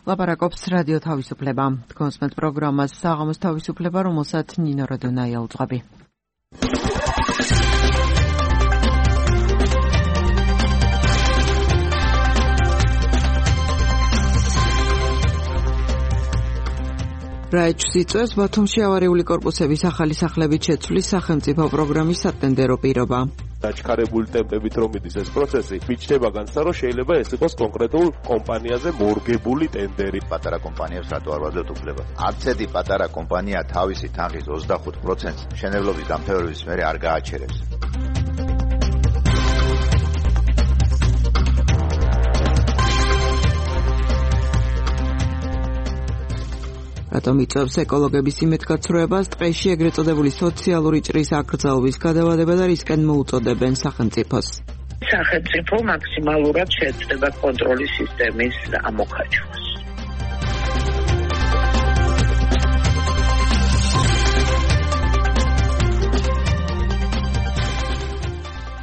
ლაპარაკობს რადიო თავისუფლება. კონსმეთ პროგრამას საღამოს თავისუფლება, რომელსაც ნინო როდონაი აუძღვები. რაიჩს იწვევს ბათუმში ავარიული კორპუსების ახალი სახლებით შეცვლის სახელმწიფო პროგრამის სატენდერო პირობა. დაჩქარებული ტემპებით რომ მიდის ეს პროცესი, მიჩნდება განცდა, რომ შეიძლება ეს იყოს კონკრეტულ კომპანიაზე მორგებული ტენდერი. პატარა კომპანიებს რატო არ ვაძლევთ უფლება? არც ერთი პატარა კომპანია თავისი თანხის 25%-ს მშენებლობის დამთავრების მერე არ გააჩერებს. რატომ იწვევს ეკოლოგების იმედგაცრუებას, ტყეში ეგრეთ წოდებული სოციალური ჭრის აკრძალვის გადავადება და რისკენ მოუწოდებენ სახელმწიფოს. სახელმწიფო მაქსიმალურად შეეცდება კონტროლის სისტემის ამოქაჩვას.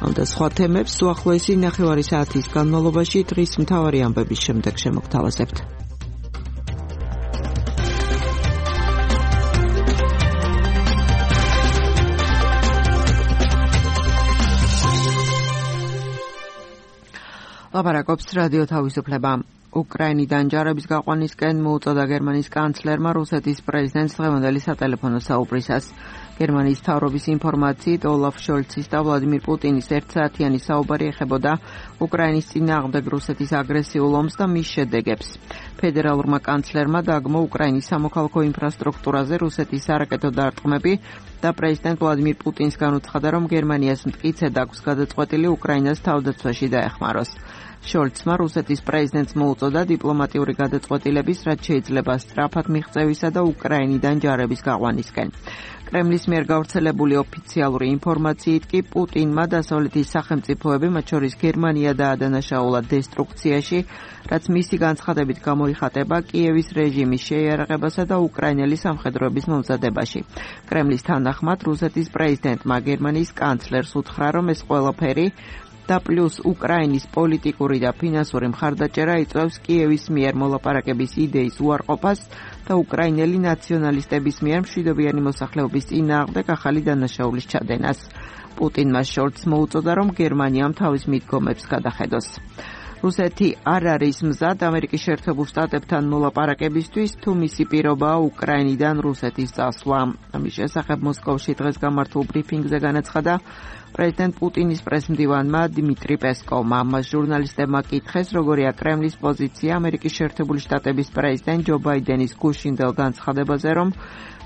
ამ და სხვა თემებს უახლოესი ნახევარი საათის განმავლობაში დღის მთავარი ამბების შემდეგ შემოგთავაზებთ. ლაპარაკობს რადიო თავისუფლება. უკრაინიდან ჯარების გაყვანისკენ მოუწოდა გერმანიის კანცლერმა რუსეთის პრეზიდენტს დღევანდელი სატელეფონო საუბრისას. გერმანიის მთავრობის ინფორმაციით ოლაფ შოლცის და ვლადიმირ პუტინის ერთსაათიანი საუბარი ეხებოდა უკრაინის წინააღმდეგ რუსეთის აგრესიულ ომს და მის შედეგებს. ფედერალურმა კანცლერმა დაგმო უკრაინის სამოქალაქო ინფრასტრუქტურაზე რუსეთის სარაკეტო დარტყმები და პრეზიდენტ ვლადიმირ პუტინს განუცხადა, რომ გერმანიას მტკიცედ აქვს გადაწყვეტილი უკრაინას თავდაცვაში დაეხმაროს. შოლცმა რუსეთის პრეზიდენტს მოუწოდა დიპლომატიური გადაწყვეტილების, რაც შეიძლება სწრაფად მიღწევისა და უკრაინიდან ჯარების გაყვანისკენ. კრემლის მიერ გავრცელებული ოფიციალური ინფორმაციით კი პუტინმა დასავლეთის სახელმწიფოები, მათ შორის გერმანია დაადანაშაულა დესტრუქციაში, რაც მისი განცხადებით გამოიხატება კიევის რეჟიმის შეიარაღებასა და უკრაინელი სამხედროების მომზადებაში. კრემლის თანახმად რუსეთის პრეზიდენტმა გერმანიის კანცლერს უთხრა, რომ ეს ყველაფერი და პლუს უკრაინის პოლიტიკური და ფინანსური მხარდაჭერა იწვევს კიევის მიერ მოლაპარაკების იდეის უარყოფას და უკრაინელი ნაციონალისტების მიერ მშვიდობიანი მოსახლეობის წინააღმდეგ ახალი დანაშაულის ჩადენას. პუტინმა შოლცს მოუწოდა, რომ გერმანიამ თავის მიდგომებს გადახედოს. რუსეთი არ არის მზად ამერიკის შეერთებულ შტატებთან მოლაპარაკებისთვის, თუ მისი პირობაა უკრაინიდან რუსეთის წასვლა. ამის შესახებ მოსკოვში დღეს გამართულ ბრიფინგზე განაცხადა პრეზიდენტ პუტინის პრესმდივანმა დიმიტრი პესკოვმა. მას ჟურნალისტებმა კითხეს, როგორია კრემლის პოზიცია ამერიკის შეერთებული შტატების პრეზიდენტ ჯო ბაიდენის გუშინდელ განცხადებაზე, რომ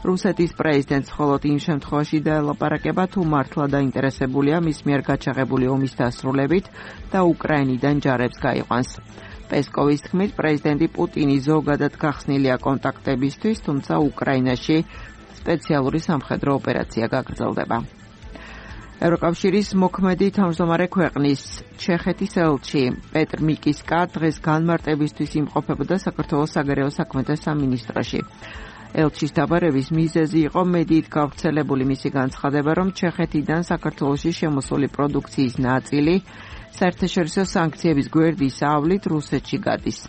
რუსეთის პრეზიდენტს მხოლოდ იმ შემთხვევაში დაელაპარაკება, თუ მართლა დაინტერესებულია მის მიერ გაჩაღებული ომის დასრულებით და უკრაინიდან ჯარებს გაიყვანს. პესკოვის თქმით, პრეზიდენტი პუტინი ზოგადად გახსნილია კონტაქტებისთვის, თუმცა უკრაინაში სპეციალური სამხედრო ოპერაცია გაგრძელდება. ევროკავშირის მოქმედი თავმჯდომარე ქვეყნის ჩეხეთის ელჩი პეტრ მიკისკა დღეს განმარტებისთვის იმყოფებოდა საქართველოს საგარეო საქმეთა სამინისტროში. ელჩის დაბარების მიზეზი იყო მედიით გავრცელებული მისი განცხადება, რომ ჩეხეთიდან საქართველოში შემოსული პროდუქციის ნაწილი საერთაშორისო სანქციების გვერდის ავლით რუსეთში გადის.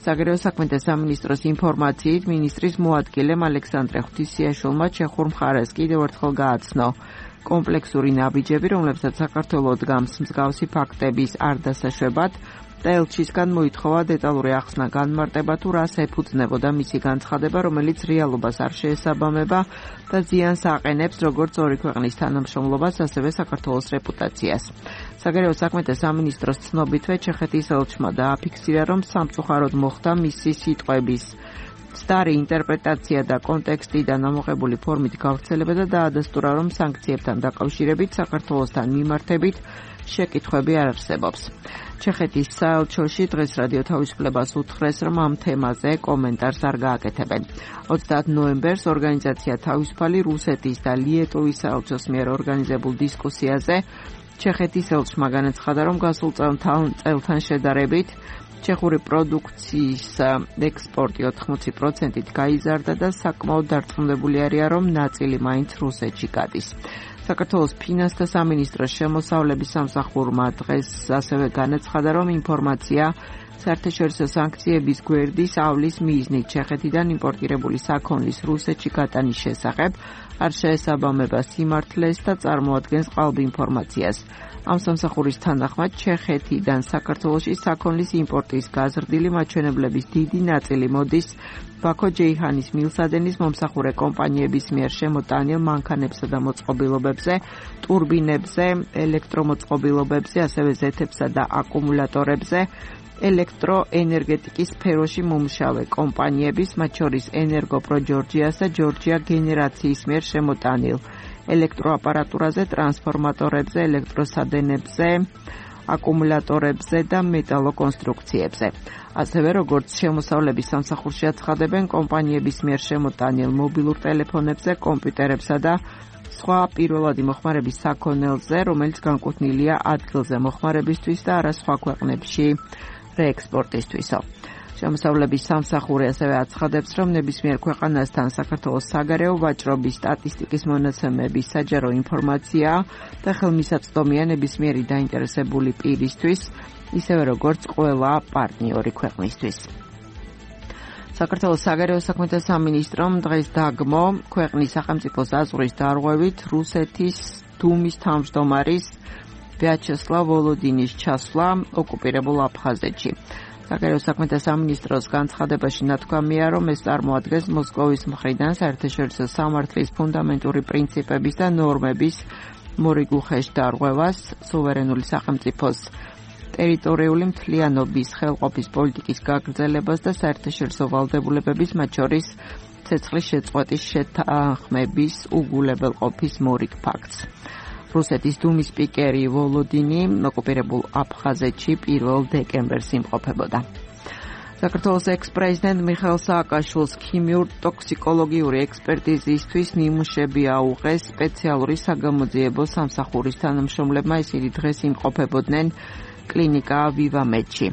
საგარეო საქმეთა სამინისტროს ინფორმაციით მინისტრის მოადგილემ ალექსანდრე ღვთისიაშვილმა ჩეხურ მხარეს კიდევ ერთხელ გააცნო კომპლექსური ნაბიჯები, რომლებსაც საქართველოს დგამს მსგავსი ფაქტების არ დასაშვებად და ელჩისგან მოითხოვა დეტალური ახსნა განმარტება, თუ რას ეფუძნებოდა მისი განცხადება, რომელიც რეალობას არ შეესაბამება და ზიანს აყენებს როგორც ორი ქვეყნის თანამშრომლობას, ასევე საქართველოს რეპუტაციას. საგარეო საქმეთა სამინისტროს ცნობითვე ჩეხეთის ელჩმა დააფიქსირა, რომ სამწუხაროდ მოხდა მისი სიტყვების მცდარი ინტერპრეტაცია და კონტექსტიდან ამოღებული ფორმით გავრცელება და დაადასტურა, რომ სანქციებთან დაკავშირებით საქართველოსთან მიმართებით შეკითხვები არ არსებობს. ჩეხეთის საელჩოში დღეს რადიო თავისუფლებას უთხრეს, რომ ამ თემაზე კომენტარს არ გააკეთებენ. 30 ნოემბერს ორგანიზაცია თავისუფალი რუსეთის და ლიეტუვის საელჩოს მიერ ორგანიზებულ დისკუსიაზე ჩეხეთის ელჩმა განაცხადა, რომ გასულ წელთან შედარებით ჩეხური პროდუქციის ექსპორტი 80%-ით გაიზარდა და საკმაოდ დარწმუნებული არიან, რომ ნაწილი მაინც რუსეთში გადის. საქართველოს ფინანსთა სამინისტროს შემოსავლების სამსახურმა დღეს ასევე განაცხადა, რომ ინფორმაცია საერთაშორისო სანქციების გვერდის ავლის მიზნით ჩეხეთიდან იმპორტირებული საქონლის რუსეთში გატანის შესახებ არ შეესაბამება სიმართლეს და წარმოადგენს ყალბ ინფორმაციას. ამ სამსახურის თანახმად ჩეხეთიდან საქართველოში საქონლის იმპორტის გაზრდილი მაჩვენებლების დიდი ნაწილი მოდის ბაქო ჯეიჰანის მილსადენის მომსახურე კომპანიების მიერ შემოტანილ მანქანებსა და მოწყობილობებზე, ტურბინებზე, ელექტრომოწყობილობებზე, ასევე ზეთებსა და აკუმულატორებზე, ელექტროენერგეტიკის სფეროში მომუშავე კომპანიების, მათ შორის ენერგოპრო ჯორჯიას და ჯორჯია გენერაციის მიერ შემოტანილ ელექტროაპარატურაზე, ტრანსფორმატორებზე, ელექტროსადენებზე, აკუმულატორებზე და მეტალოკონსტრუქციებზე. ასევე როგორც შემოსავლების სამსახურში აცხადებენ, კომპანიების მიერ შემოტანილ მობილურ ტელეფონებზე, კომპიუტერებსა და სხვა პირველადი მოხმარების საქონელზე, რომელიც განკუთვნილია ადგილზე მოხმარებისთვის და არა სხვა ქვეყნებში რეექსპორტისთვისო. შემოსავლების სამსახური ასევე აცხადებს, რომ ნებისმიერ ქვეყანასთან საქართველოს საგარეო ვაჭრობის სტატისტიკის მონაცემების საჯარო ინფორმაცია და ხელმისაწვდომია ნებისმიერი დაინტერესებული პირისთვის, ისევე როგორც ყველა პარტნიორი ქვეყნისთვის. საქართველოს საგარეო საქმეთა სამინისტრომ დღეს დაგმო ქვეყნის სახელმწიფო საზღვრის დარღვევით რუსეთის დუმის თავმჯდომარის ვიაჩესლავ ვოლოდინის ჩასვლა ოკუპირებულ აფხაზეთში. საგარეო საქმეთა სამინისტროს განცხადებაში ნათქვამია, რომ ეს წარმოადგენს მოსკოვის მხრიდან საერთაშორისო სამართლის ფუნდამენტური პრინციპების და ნორმების მორიგუხეშ დარღვევას, სუვერენული სახელმწიფოს ტერიტორიული მთლიანობის ხელყოფის პოლიტიკის გაგრძელებას და საერთაშორისო ვალდებულებების, მათ შორის ცეცხლის შეწყვეტის შეთანხმების უგულებელყოფის მორიგ ფაქტს. რუსეთის დუმის სპიკერი ვოლოდინი ოკუპირებულ აფხაზეთში 1 დეკემბერს იმყოფებოდა. საქართველოს ექს-პრეზიდენტ მიხეილ სააკაშვილს ქიმიურ-ტოქსიკოლოგიური ექსპერტიზისთვის ნიმუშები აუღეს სპეციალური საგამოძიებო სამსახურის თანამშრომლებმა, ისინი დღეს იმყოფებოდნენ კლინიკა ვივამედში.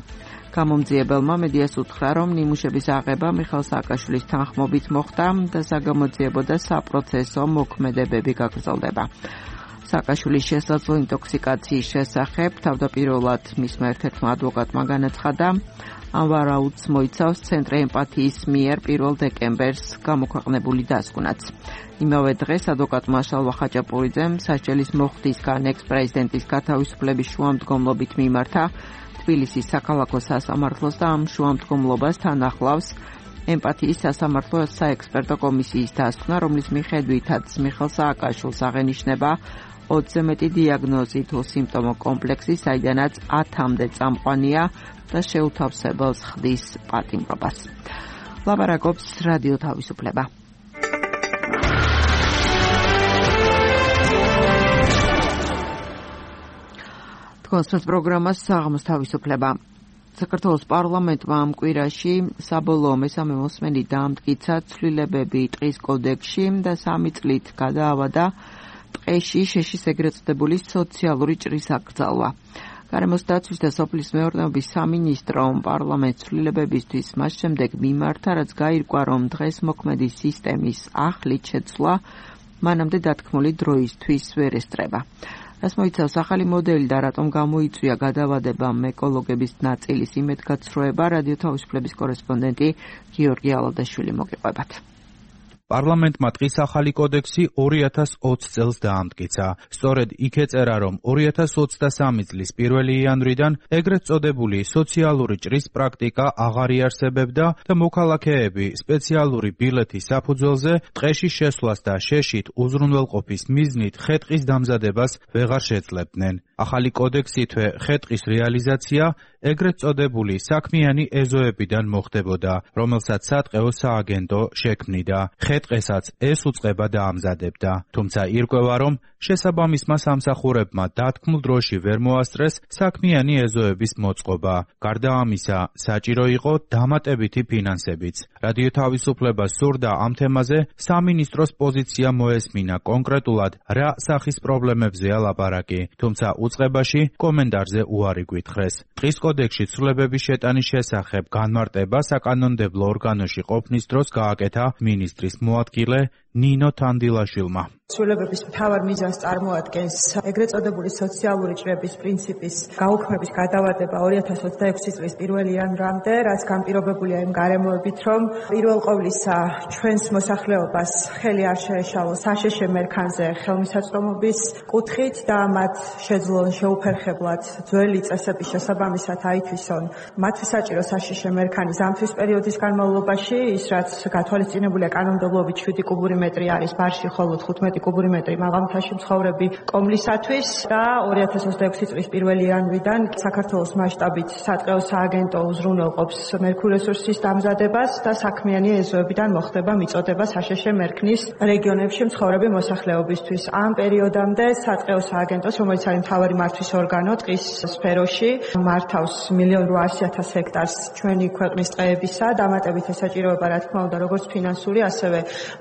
გამომძიებელმა მედიას უთხრა, რომ ნიმუშების აღება მიხეილ სააკაშვილის თანხმობით მოხდა და საგამოძიებო და საპროცესო მოქმედებები გაგრძელდება. სააკაშვილის შესაძლო ინტოქსიკაციის შესახებ თავდაპირველად მისმა ერთ-ერთმა ადვოკატმა განაცხადა, ამ ვარაუდს მოიცავს ცენტრი ემპათიის მიერ 1 დეკემბერს გამოქვეყნებული დასკვნაც. იმავე დღეს ადვოკატმა შალვა ხაჭაპურიძემ სასჯელის მოხდისგან ექს-პრეზიდენტის გათავისუფლების შუამდგომლობით მიმართა თბილისის საქალაქო სასამართლოს და ამ შუამდგომლობას თან ახლავს ემპათიის სასამართლო საექსპერტო კომისიის დასკვნა, რომლის მიხედვითაც მიხეილ სააკაშვილს აღენიშნება 20-ზე მეტი დიაგნოზი თუ სიმპტომო კომპლექსი, საიდანაც 10-მდე წამყვანია და შეუთავსებელს ხდის პატიმრობას. ლაპარაკობს რადიო თავისუფლება. თქვენს პროგრამას საღამოს თავისუფლება. საქართველოს პარლამენტმა ამ კვირაში საბოლოო მესამე მოსმენით დაამტკიცა ცვლილებები ტყის კოდექსში და 3 წლით გადაავადა ტყეში შეშის ეგრეთ წოდებული სოციალური ჭრის აკრძალვა. გარემოს დაცვის და სოფლის მეურნეობის სამინისტრომ პარლამენტს ცვლილებებისთვის მას შემდეგ მიმართა, რაც გაირკვა, რომ დღეს მოქმედი სისტემის ახლით შეცვლა მანამდე დათქმული დროისთვის ვერ ესწრება. რას მოიცავს ახალი მოდელი და რატომ გამოიწვია გადავადებამ ეკოლოგების ნაწილის იმედგაცრუება, რადიო თავისუფლების კორესპონდენტი გიორგი ალადაშვილი მოგიყვებათ. პარლამენტმა ტყის ახალი კოდექსი 2020 წელს დაამტკიცა. სწორედ იქ ეწერა, რომ 2023 წლის 1 იანვრიდან ეგრეთ წოდებული სოციალური ჭრის პრაქტიკა აღარ იარსებებდა და მოქალაქეები სპეციალური ბილეთის საფუძველზე ტყეში შესვლას და შეშით უზრუნველყოფის მიზნით ხე-ტყის დამზადებას ვეღარ შეძლებდნენ. ახალი კოდექსითვე ხე-ტყის რეალიზაცია ეგრეთ წოდებული საქმიანი ეზოებიდან მოხდებოდა, რომელსაც სატყეო სააგენტო შექმნიდა. ხე-ტყესაც ეს უწყება დაამზადებდა. თუმცა ირკვევა, რომ შესაბამისმა სამსახურებმა დათქმულ დროში ვერ მოასწრეს საქმიანი ეზოების მოწყობა. გარდა ამისა, საჭირო იყო დამატებითი ფინანსებიც. რადიო თავისუფლება სურდა ამ თემაზე სამინისტროს პოზიცია მოესმინა კონკრეტულად რა სახის პრობლემებზეა ლაპარაკი, თუმცა უწყებაში კომენტარზე უარი გვითხრეს. ტყის კოდექსში ცვლილებების შეტანის შესახებ განმარტება საკანონმდებლო ორგანოში ყოფნის დროს გააკეთა მინისტრის მოადგილე ნინო თანდილაშვილმა. ცვლილებების მთავარ მიზანს წარმოადგენს ეგრეთ წოდებული სოციალური ჭრების პრინციპის გაუქმების გადავადება 2026 წლის 1 იანვრამდე, რაც განპირობებულია იმ გარემოებით, რომ პირველ ყოვლისა ჩვენს მოსახლეობას ხელი არ შეეშალოს საშეშე მერქანზე ხელმისაწვდომობის კუთხით და მათ შეძლონ შეუფერხებლად ძველი წესების შესაბამისად აითვისონ მათი საჭირო საშეშე მერქანი ზამთრის პერიოდის განმავლობაში, ის რაც გათვალისწინებულია კანონმდებლობით 7 კუბური მეტრი არის ბარში, ხოლო 15 კუბური მეტრი მაღალმთაში მცხოვრები კომლისათვის და 2026 წლის 1 იანვრიდან საქართველოს მასშტაბით სატყეო სააგენტო უზრუნველყოფს მერქურ რესურსის დამზადებას და საქმიანი ეზოებიდან მოხდება მიწოდება საშეშე მერქნის რეგიონებში მცხოვრები მოსახლეობისთვის. ამ პერიოდამდე სატყეო სააგენტოს, რომელიც არის მთავარი მართვის ორგანო ტყის სფეროში, მართავს 1,800,000 ჰექტარს ჩვენი ქვეყნის ტყეებისა, დამატებით ესაჭიროება, რა თქმა უნდა, როგორც ფინანსური, ასევე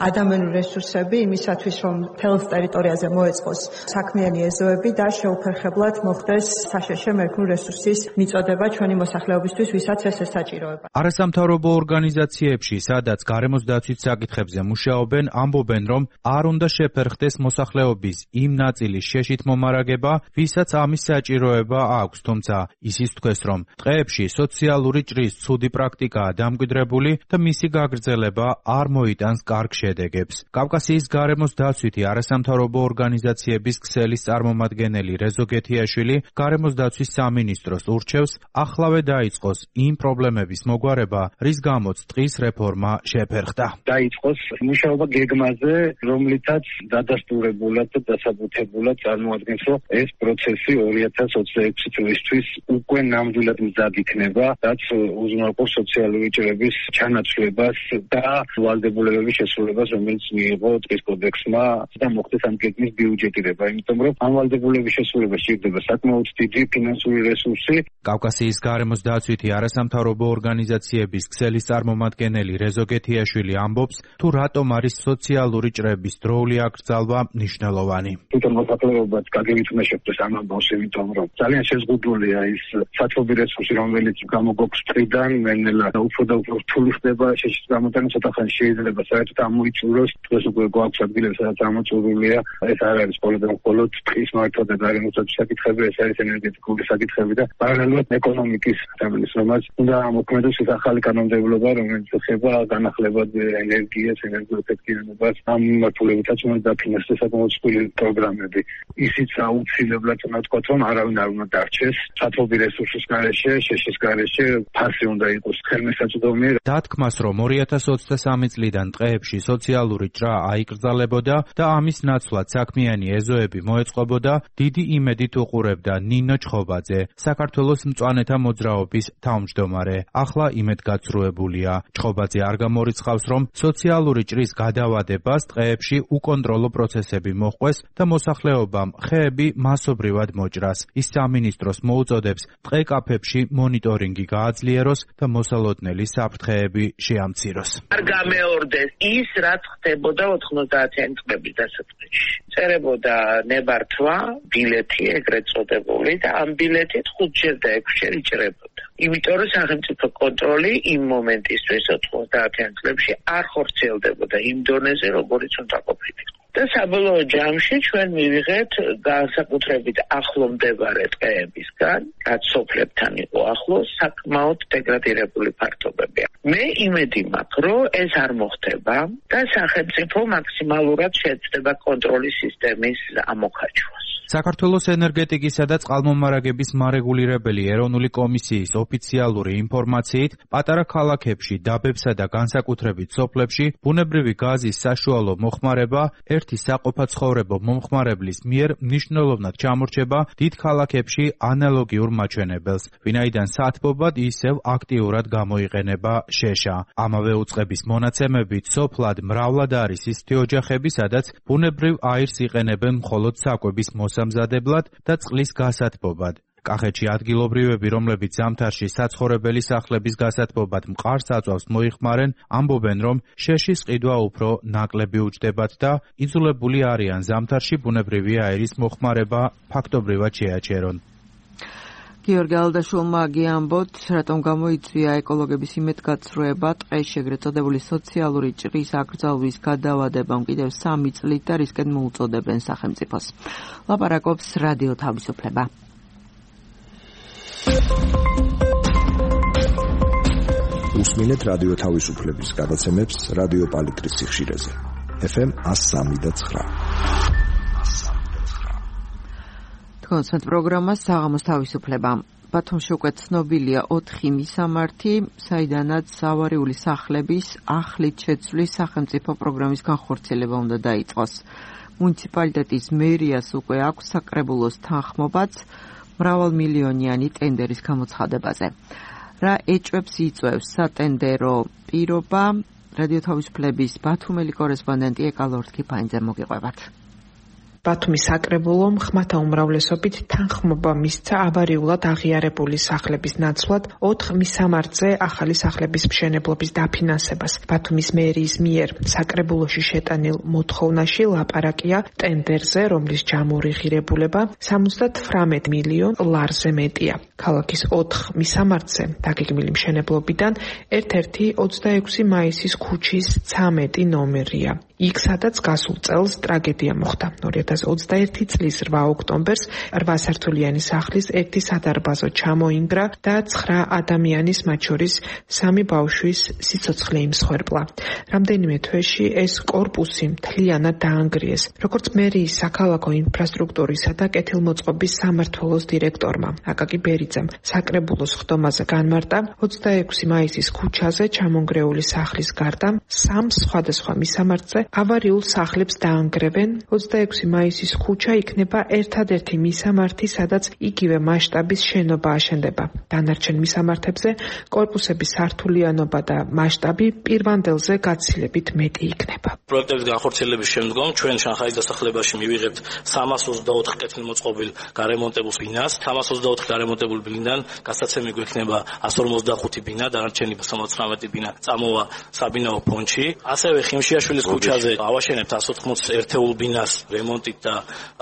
ადამიანური რესურსები იმისათვის, რომ მთელს ტერიტორიაზე მოეწყოს საქმიანი ეზოები და შეუფერხებლად მოხდეს საშეშე მერქნული რესურსის მიწოდება ჩვენი მოსახლეობისთვის, ვისაც ეს ესაჭიროება. არასამთავრობო ორგანიზაციებში, სადაც გარემოს დაცვის საკითხებზე მუშაობენ, ამბობენ, რომ არ უნდა შეფერხდეს მოსახლეობის იმ ნაწილის შეშით მომარაგება, ვისაც ამის საჭიროება აქვს, თუმცა ისიც თქვეს, რომ ტყეებში სოციალური ჭრის ცუდი პრაქტიკაა დამკვიდრებული და მისი გაგრძელება არ მოიტანს კარგ შედეგებს. კავკასიის გარემოს დაცვითი არასამთავრობო ორგანიზაციების ქსელის წარმომადგენელი რეზო გეთიაშვილი გარემოს დაცვის სამინისტროს ურჩევს ახლავე დაიწყოს იმ პრობლემების მოგვარება, რის გამოც ტყის რეფორმა შეფერხდა. დაიწყოს მუშაობა გეგმაზე, რომლითაც დადასტურებულად და დასაბუთებულად წარმოადგენს, რომ ეს პროცესი 2026 წლისთვის უკვე ნამდვილად მზად იქნება, რაც უზრუნველყოფს სოციალური ჭრების ჩანაცვლებას და ვალდებულებების შესრულებას, რომელიც მიიღო ტყის კოდექსმა და მოხდეს ამ გეგმის ბიუჯეტირება, იმიტომ რომ ამ ვალდებულების შესრულება სჭირდება საკმაოდ დიდი ფინანსური რესურსი. კავკასიის გარემოს დაცვითი არასამთავრობო ორგანიზაციების ქსელის წარმომადგენელი რეზო გეთიაშვილი ამბობს, თუ რატომ არის სოციალური ჭრების დროული აკრძალვა მნიშვნელოვანი. თვითონ მოსახლეობაც გაგებით უნდა შეხვდეს ამ ამბავს, იმიტომ რომ ძალიან შეზღუდულია ის საწყობი რესურსი, რომელიც გამოგვაქვს ტყიდან, მენელა უფრო და უფრო რთული ხდება შეშის გამოტანა, ცოტა ხანი შეიძლება საერთოდ ამოიწუროს, დღეს უკვე გვაქვს ადგილები, სადაც ამოწურულია. ეს არ არის მხოლოდ ტყის მართვა და გარემოს დაცვის საკითხები, ეს არის ენერგეტიკული საკითხები და პარალელურად ეკონომიკის თემის, რომელიც უნდა მოქმედოს ეს ახალი კანონმდებლობა, რომელიც ეხება განახლებად ენერგიას, ენერგოეფექტიანობას, ამ მიმართულებითაც უნდა დაფინანსდეს საკმაოდ მსხვილი პროგრამები. ისიც აუცილებლად უნდა ვთქვათ, რომ არავინ არ უნდა დარჩეს საწყობი რესურსის გარეშე, შეშის გარეშე, ფასი უნდა იყოს ხელმისაწვდომი. დათქმას, რომ 2023 წლიდან ტყეებში სოციალური ჭრა აიკრძალებოდა და ამის ნაცვლად საქმიანი ეზოები მოეწყობოდა, დიდი იმედით უყურებდა ნინო ჩხობაძე, საქართველოს მწვანეთა მოძრაობის თავმჯდომარე. ახლა იმედგაცრუებულია. ჩხობაძე არ გამორიცხავს, რომ სოციალური ჭრის გადავადებას ტყეებში უკონტროლო პროცესები მოჰყვეს და მოსახლეობამ ხეები მასობრივად მოჭრას. ის სამინისტროს მოუწოდებს ტყე კაფეებში მონიტორინგი გააძლიეროს და მოსალოდნელი საფრთხეები შეამციროს. არ გამეორდეს ის, რაც ხდებოდა 90-იანი წლების დასაწყისში. წერებოდა ნებართვა, ბილეთი ეგრეთ წოდებული და ამ ბილეთით 5-ჯერ და 6-ჯერ იჭრებოდა. იმიტომ რომ სახელმწიფო კონტროლი იმ მომენტისთვის 90-იან წლებში არ ხორციელდებოდა იმ დონეზე, როგორიც უნდა ყოფილიყო. და საბოლოო ჯამში ჩვენ მივიღეთ განსაკუთრებით ახლო მდებარე ტყეებისგან, რაც სოფლებთან იყო ახლო, საკმაოდ დეგრადირებული ფართობებია. მე იმედი მაქვს, რომ ეს არ მოხდება და სახელმწიფო მაქსიმალურად შეეცდება კონტროლის სისტემის ამოქაჩვას. საქართველოს ენერგეტიკისა და წყალმომარაგების მარეგულირებელი ეროვნული კომისიის ოფიციალური ინფორმაციით, პატარა ქალაქებში, დაბებსა და განსაკუთრებით სოფლებში ბუნებრივი გაზის საშუალო მოხმარება ერთი საყოფაცხოვრებო მომხმარებლის მიერ მნიშვნელოვნად ჩამორჩება დიდ ქალაქებში ანალოგიურ მაჩვენებელს, ვინაიდან სათბობად ისევ აქტიურად გამოიყენება შეშა. ამავე უწყების მონაცემებით სოფლად მრავლად არის ისეთი ოჯახები, სადაც ბუნებრივ აირს იყენებენ მხოლოდ საკვების მოსამზადებლად და წყლის გასათბობად. კახეთში ადგილობრივები, რომლებიც ზამთარში საცხოვრებელი სახლების გასათბობად მყარ საწვავს მოიხმარენ, ამბობენ, რომ შეშის ყიდვა უფრო ნაკლები უჯდებათ და იძულებული არიან ზამთარში ბუნებრივი აირის მოხმარება ფაქტობრივად შეაჩერონ. გიორგი ალდაშვილმა გიამბოთ, რატომ გამოიწვია ეკოლოგების იმედგაცრუება ტყეში ეგრეთ წოდებული სოციალური ჭრის აკრძალვის გადავადებამ კიდევ 3 წლით და რისკენ მოუწოდებენ სახელმწიფოს. ლაპარაკობს რადიო თავისუფლება. უსმინეთ რადიო თავისუფლების გადაცემებს რადიო პალიტრის სიხშირეზე. FM 103.9. კონცერტ პროგრამა საღამოს თავისუფლება. ბათუმში უკვე ცნობილია 4 მისამართი, საიდანაც ავარიული სახლების ახლით შეცვლის სახელმწიფო პროგრამის განხორციელება უნდა დაიწყოს. მუნიციპალიტეტის მერიას უკვე აქვს საკრებულოს თანხმობაც მრავალმილიონიანი ტენდერის გამოცხადებაზე. რა ეჭვებს იწვევს სატენდერო პირობა? რადიო თავისუფლების ბათუმელი კორესპონდენტი ეკალორთქიფაინძე მოგიყვებათ. ბათუმის საკრებულომ ხმათა უმრავლესობით თანხმობა მისცა ავარიულად აღიარებული სახლების ნაცვლად 4 მისამართზე ახალი სახლების მშენებლობის დაფინანსებას. ბათუმის მერიის მიერ საკრებულოში შეტანილ მოთხოვნაში ლაპარაკია ტენდერზე, რომლის ჯამური ღირებულება 78 მილიონ ლარზე მეტია. ქალაქის 4 მისამართზე დაგეგმილი მშენებლობიდან ერთ-ერთი 26 მაისის ქუჩის 13 ნომერია. იქ სადაც გასულ წელს ტრაგედია მოხდა. 2021 წლის 8 ოქტომბერს 8 სართულიანი სახლის 1 სადარბაზო ჩამოინგრა და 9 ადამიანის, მათ შორის 3 ბავშვის სიცოცხლე იმსხვერპლა. რამდენიმე თვეში ეს კორპუსი მთლიანად დაანგრიეს. როგორც მერიის საქალაქო ინფრასტრუქტურისა და კეთილმოწყობის სამმართველოს დირექტორმა აკაკი ბერიძემ საკრებულოს ხდომაზე განმარტა, 26 მაისის ქუჩაზე ჩამონგრეული სახლის გარდა 3 სხვადასხვა მისამართზე ავარიულ სახლებს დაანგრევენ. 26 მაისის ქუჩა იქნება ერთადერთი მისამართი, სადაც იგივე მასშტაბის შენობა აშენდება. დანარჩენ მისამართებზე კორპუსების სართულიანობა და მასშტაბი პირვანდელზე გაცილებით მეტი იქნება. პროექტების განხორციელების შემდგომ ჩვენ შანხაის დასახლებაში მივიღებთ 324 კეთილმოწყობილ გარემონტებულ ბინას. 324 გარემონტებულ ბინიდან გასაცემი გვექნება 155 ბინა, დანარჩენი 79 ბინა წამოვა საბინაო ფონდში. ასევე ხიმშიაშვილის ქუჩაზე ავაშენებთ 180 ერთეულ ბინას რემონტით და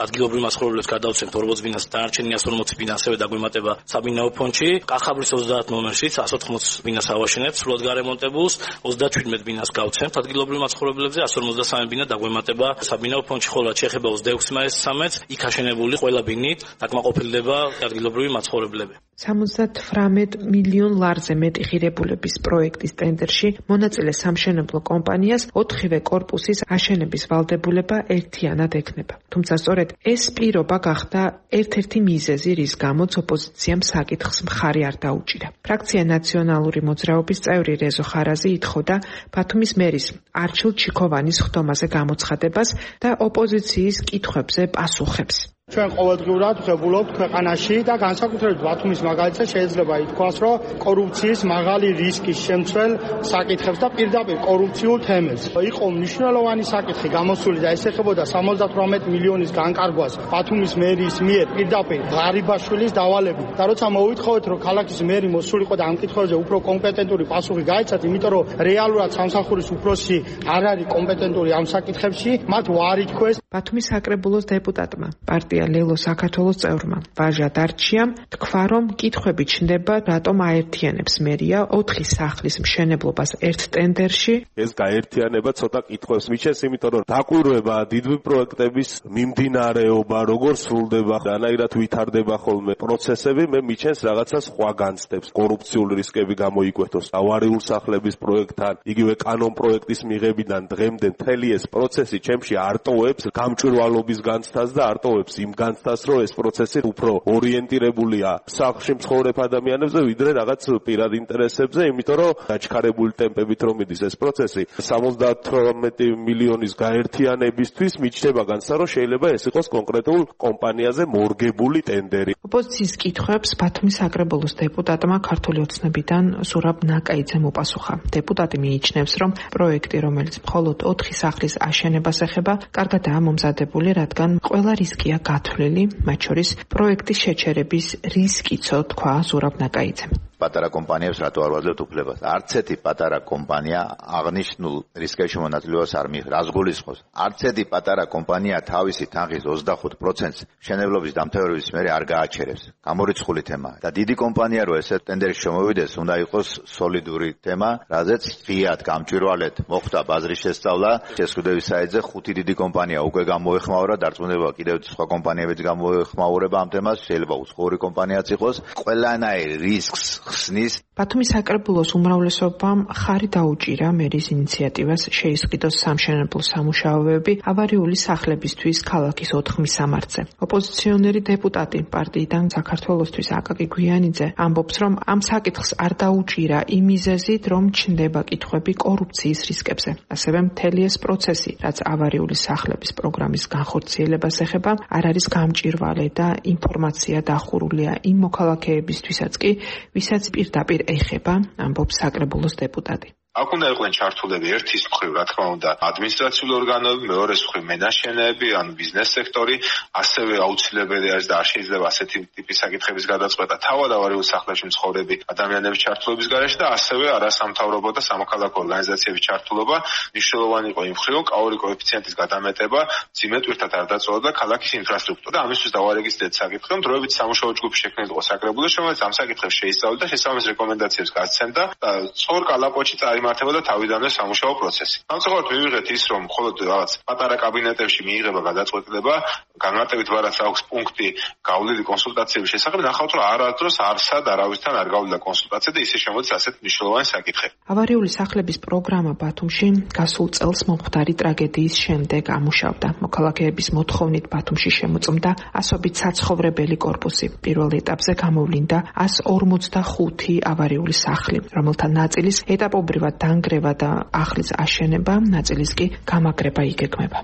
ადგილობრივ მაცხოვრებლებს გადავცემთ 40 ბინას, დანარჩენი 140 ბინა ასევე დაგვემატება საბინაო ფონდში. კახაბრის 30 ნომერშიც 180 ბინას ავაშენებთ სრულად გარემონტებულს, 37 ბინას გავცემთ ადგილობრივ მაცხოვრებლებზე, 153 ბინა დაგვემატება საბინაო ფონდში, ხოლო შეეხება 26 მაისს 13-ს იქ აშენებული ყველა ბინით დაკმაყოფილდება ადგილობრივი მაცხოვრებლები. 78 მილიონ ლარზე მეტი ღირებულების პროექტის ტენდერში მონაწილე სამშენებლო კომპანიას 4-ვე კორპუსის აშენების ვალდებულება ერთიანად ექნება. თუმცა სწორედ ეს პირობა გახდა ერთ-ერთი მიზეზი, რის გამოც ოპოზიციამ საკითხს მხარი არ დაუჭირა. ფრაქცია ნაციონალური მოძრაობის წევრი რეზო ხარაზი ითხოვდა ბათუმის მერის არჩილ ჩიქოვანის ხდომაზე გამოცხადებას და ოპოზიციის კითხვებზე პასუხებს. ჩვენ ყოველდღიურად ვღებულობთ ქვეყანაში და განსაკუთრებით ბათუმის მაგალითზე შეიძლება ითქვას, რომ კორუფციის მაღალი რისკის შემცველ საკითხებს და პირდაპირ კორუფციულ თემებს. იყო მნიშვნელოვანი საკითხი გამოსული და ეს ეხებოდა 78 მილიონის განკარგვას ბათუმის მერიის მიერ პირდაპირ ღარიბაშვილის დავალებით. და როცა მოვითხოვეთ, რომ ქალაქის მერი მოსულიყო და ამ კითხვებზე უფრო კომპეტენტური პასუხი გაეცათ, იმიტომ რომ რეალურად სამსახურის უფროსი არ არის კომპეტენტური ამ საკითხებში, მათ უარი თქვეს. ბათუმის საკრებულოს დეპუტატმა პარტია ლელო საქართველოს წევრმა ვაჟა დარჩიამ თქვა, რომ კითხვები ჩნდება, რატომ აერთიანებს მერია 4 სახლის მშენებლობას ერთ ტენდერში. ეს გაერთიანება ცოტა კითხვებს მიჩენს, იმიტომ რომ დაკვირვება დიდვი პროექტების მიმდინარეობა, როგორ სრულდება, რანაირად ვითარდება ხოლმე პროცესები, მე მიჩენს რაღაცა სხვა განცდებს. კორუფციული რისკები გამოიკვეთოს ავარიულ სახლების პროექტთან, იგივე კანონ პროექტის მიღებიდან დღემდე მთელი ეს პროცესი ჩემში არტოვებს გამჭვირვალობის განცდას და არტოვებს იმ განცდას, რომ ეს პროცესი უფრო ორიენტირებულია სახლში მცხოვრებ ადამიანებზე, ვიდრე რაღაც პირად ინტერესებზე, იმიტომ რომ დაჩქარებული ტემპებით რომ მიდის ეს პროცესი, 78 მილიონის გაერთიანებისთვის მიჩნდება განცდა, რომ შეიძლება ეს იყოს კონკრეტულ კომპანიაზე მორგებული ტენდერი. ოპოზიციის კითხვებს ბათუმის საკრებულოს დეპუტატმა ქართული ოცნებიდან ზურაბ ნაკაიძემ უპასუხა. დეპუტატი მიიჩნევს, რომ პროექტი, რომელიც მხოლოდ 4 სახლის აშენებას ეხება, კარგადაა მომზადებული, რადგან ყველა რისკია გათვლილი, მათ შორის პროექტის შეჩერების რისკიცო, თქვა ზურაბ ნაკაიძემ. პატარა კომპანიებს რატო არ ვაძლევთ უფლებას? არც ერთი პატარა კომპანია აღნიშნულ რისკებში მონაწილეობას არ მიიღებს. რას გულისხმობს? არც ერთი პატარა კომპანია თავისი თანხის 25%-ს მშენებლობის დამთავრების მერე არ გააჩერებს. გამორიცხული თემაა. და დიდი კომპანია რო ესე ტენდერში შემოვიდეს, უნდა იყოს სოლიდური თემა, რაზეც ღიად გამჭვირვალედ მოხდა ბაზრის შესწავლა. შეზღუდების საიტზე 5 დიდი კომპანია უკვე გამოეხმაურა, დარწმუნება კიდევ სხვა კომპანიებიც გამოეხმაურება ამ თემას, შეიძლება უცხოური კომპანიაც იყოს. ყველანაირ რისკს ხსნის. ბათუმის საკრებულოს უმრავლესობამ ხარი დაუჭირა მერის ინიციატივას შეისყიდოს სამშენებლო სამუშაოები ავარიული სახლებისთვის ქალაქის 4 მისამართზე. ოპოზიციონერი დეპუტატი პარტიიდან საქართველოსთვის აკაკი გვიანიძე ამბობს, რომ ამ საკითხს არ დაუჭირა იმ მიზეზით, რომ ჩნდება კითხვები კორუფციის რისკებზე. ასევე მთელი ეს პროცესი, რაც ავარიული სახლების პროგრამის განხორციელებას ეხება, არ არის გამჭვირვალე და ინფორმაცია დახურულია იმ მოქალაქეებისთვისაც კი, ვისაც პირდაპირ ეხება, ამბობს საკრებულოს დეპუტატი. აქ უნდა იყვნენ ჩართულები ერთის მხრივ, რა თქმა უნდა, ადმინისტრაციული ორგანოები, მეორეს მხრივ მენაშენეები, ან ბიზნეს სექტორი, ასევე აუცილებელი არის და არ შეიძლება ასეთი ტიპის საკითხების გადაწყვეტა თავად ავარიულ სახლებში მცხოვრები ადამიანების ჩართულობის გარეშე და ასევე არასამთავრობო და სამოქალაქო ორგანიზაციების ჩართულობა მნიშვნელოვანი იყო იმ მხრივ, რომ კაური კოეფიციენტის გადამეტება ძიმეტვირთად არ დაწოვდა ქალაქის ინფრასტრუქტურა და ამისთვის დავარეგისტრეთ საკითხი, რომ დროებით სამუშაო ჯგუფი შექმნილიყო საკრებულოს, რომელიც ამ საკითხებს შეისწავლა და შესაბამის რეკომენდაციებს გასცემდა და სწორ კალაპოტში იმართებოდა თავიდანვე სამუშაო პროცესი. სამწუხაროდ მივიღეთ ის, რომ მხოლოდ რაღაც პატარა კაბინეტებში მიიღება გადაწყვეტილება, განმარტებით ვარაც აქვს პუნქტი გავლილი კონსულტაციების შესახებ, ნახავთ, რომ არასდროს არსად არავისთან არ გავლიდა კონსულტაცია და ისე შემოდის ასეთ მნიშვნელოვანი საკითხი. ავარიული სახლების პროგრამა ბათუმში გასულ წელს მომხდარი ტრაგედიის შემდეგ ამუშავდა. მოქალაქეების მოთხოვნით ბათუმში შემოწმდა ასობით საცხოვრებელი კორპუსი. პირველ ეტაპზე გამოვლინდა 145 ავარიული სახლი, რომელთა ნაწილის ეტაპობრივად დანგრევა და ახლის აშენება, ნაწილის კი გამაგრება იგეგმება.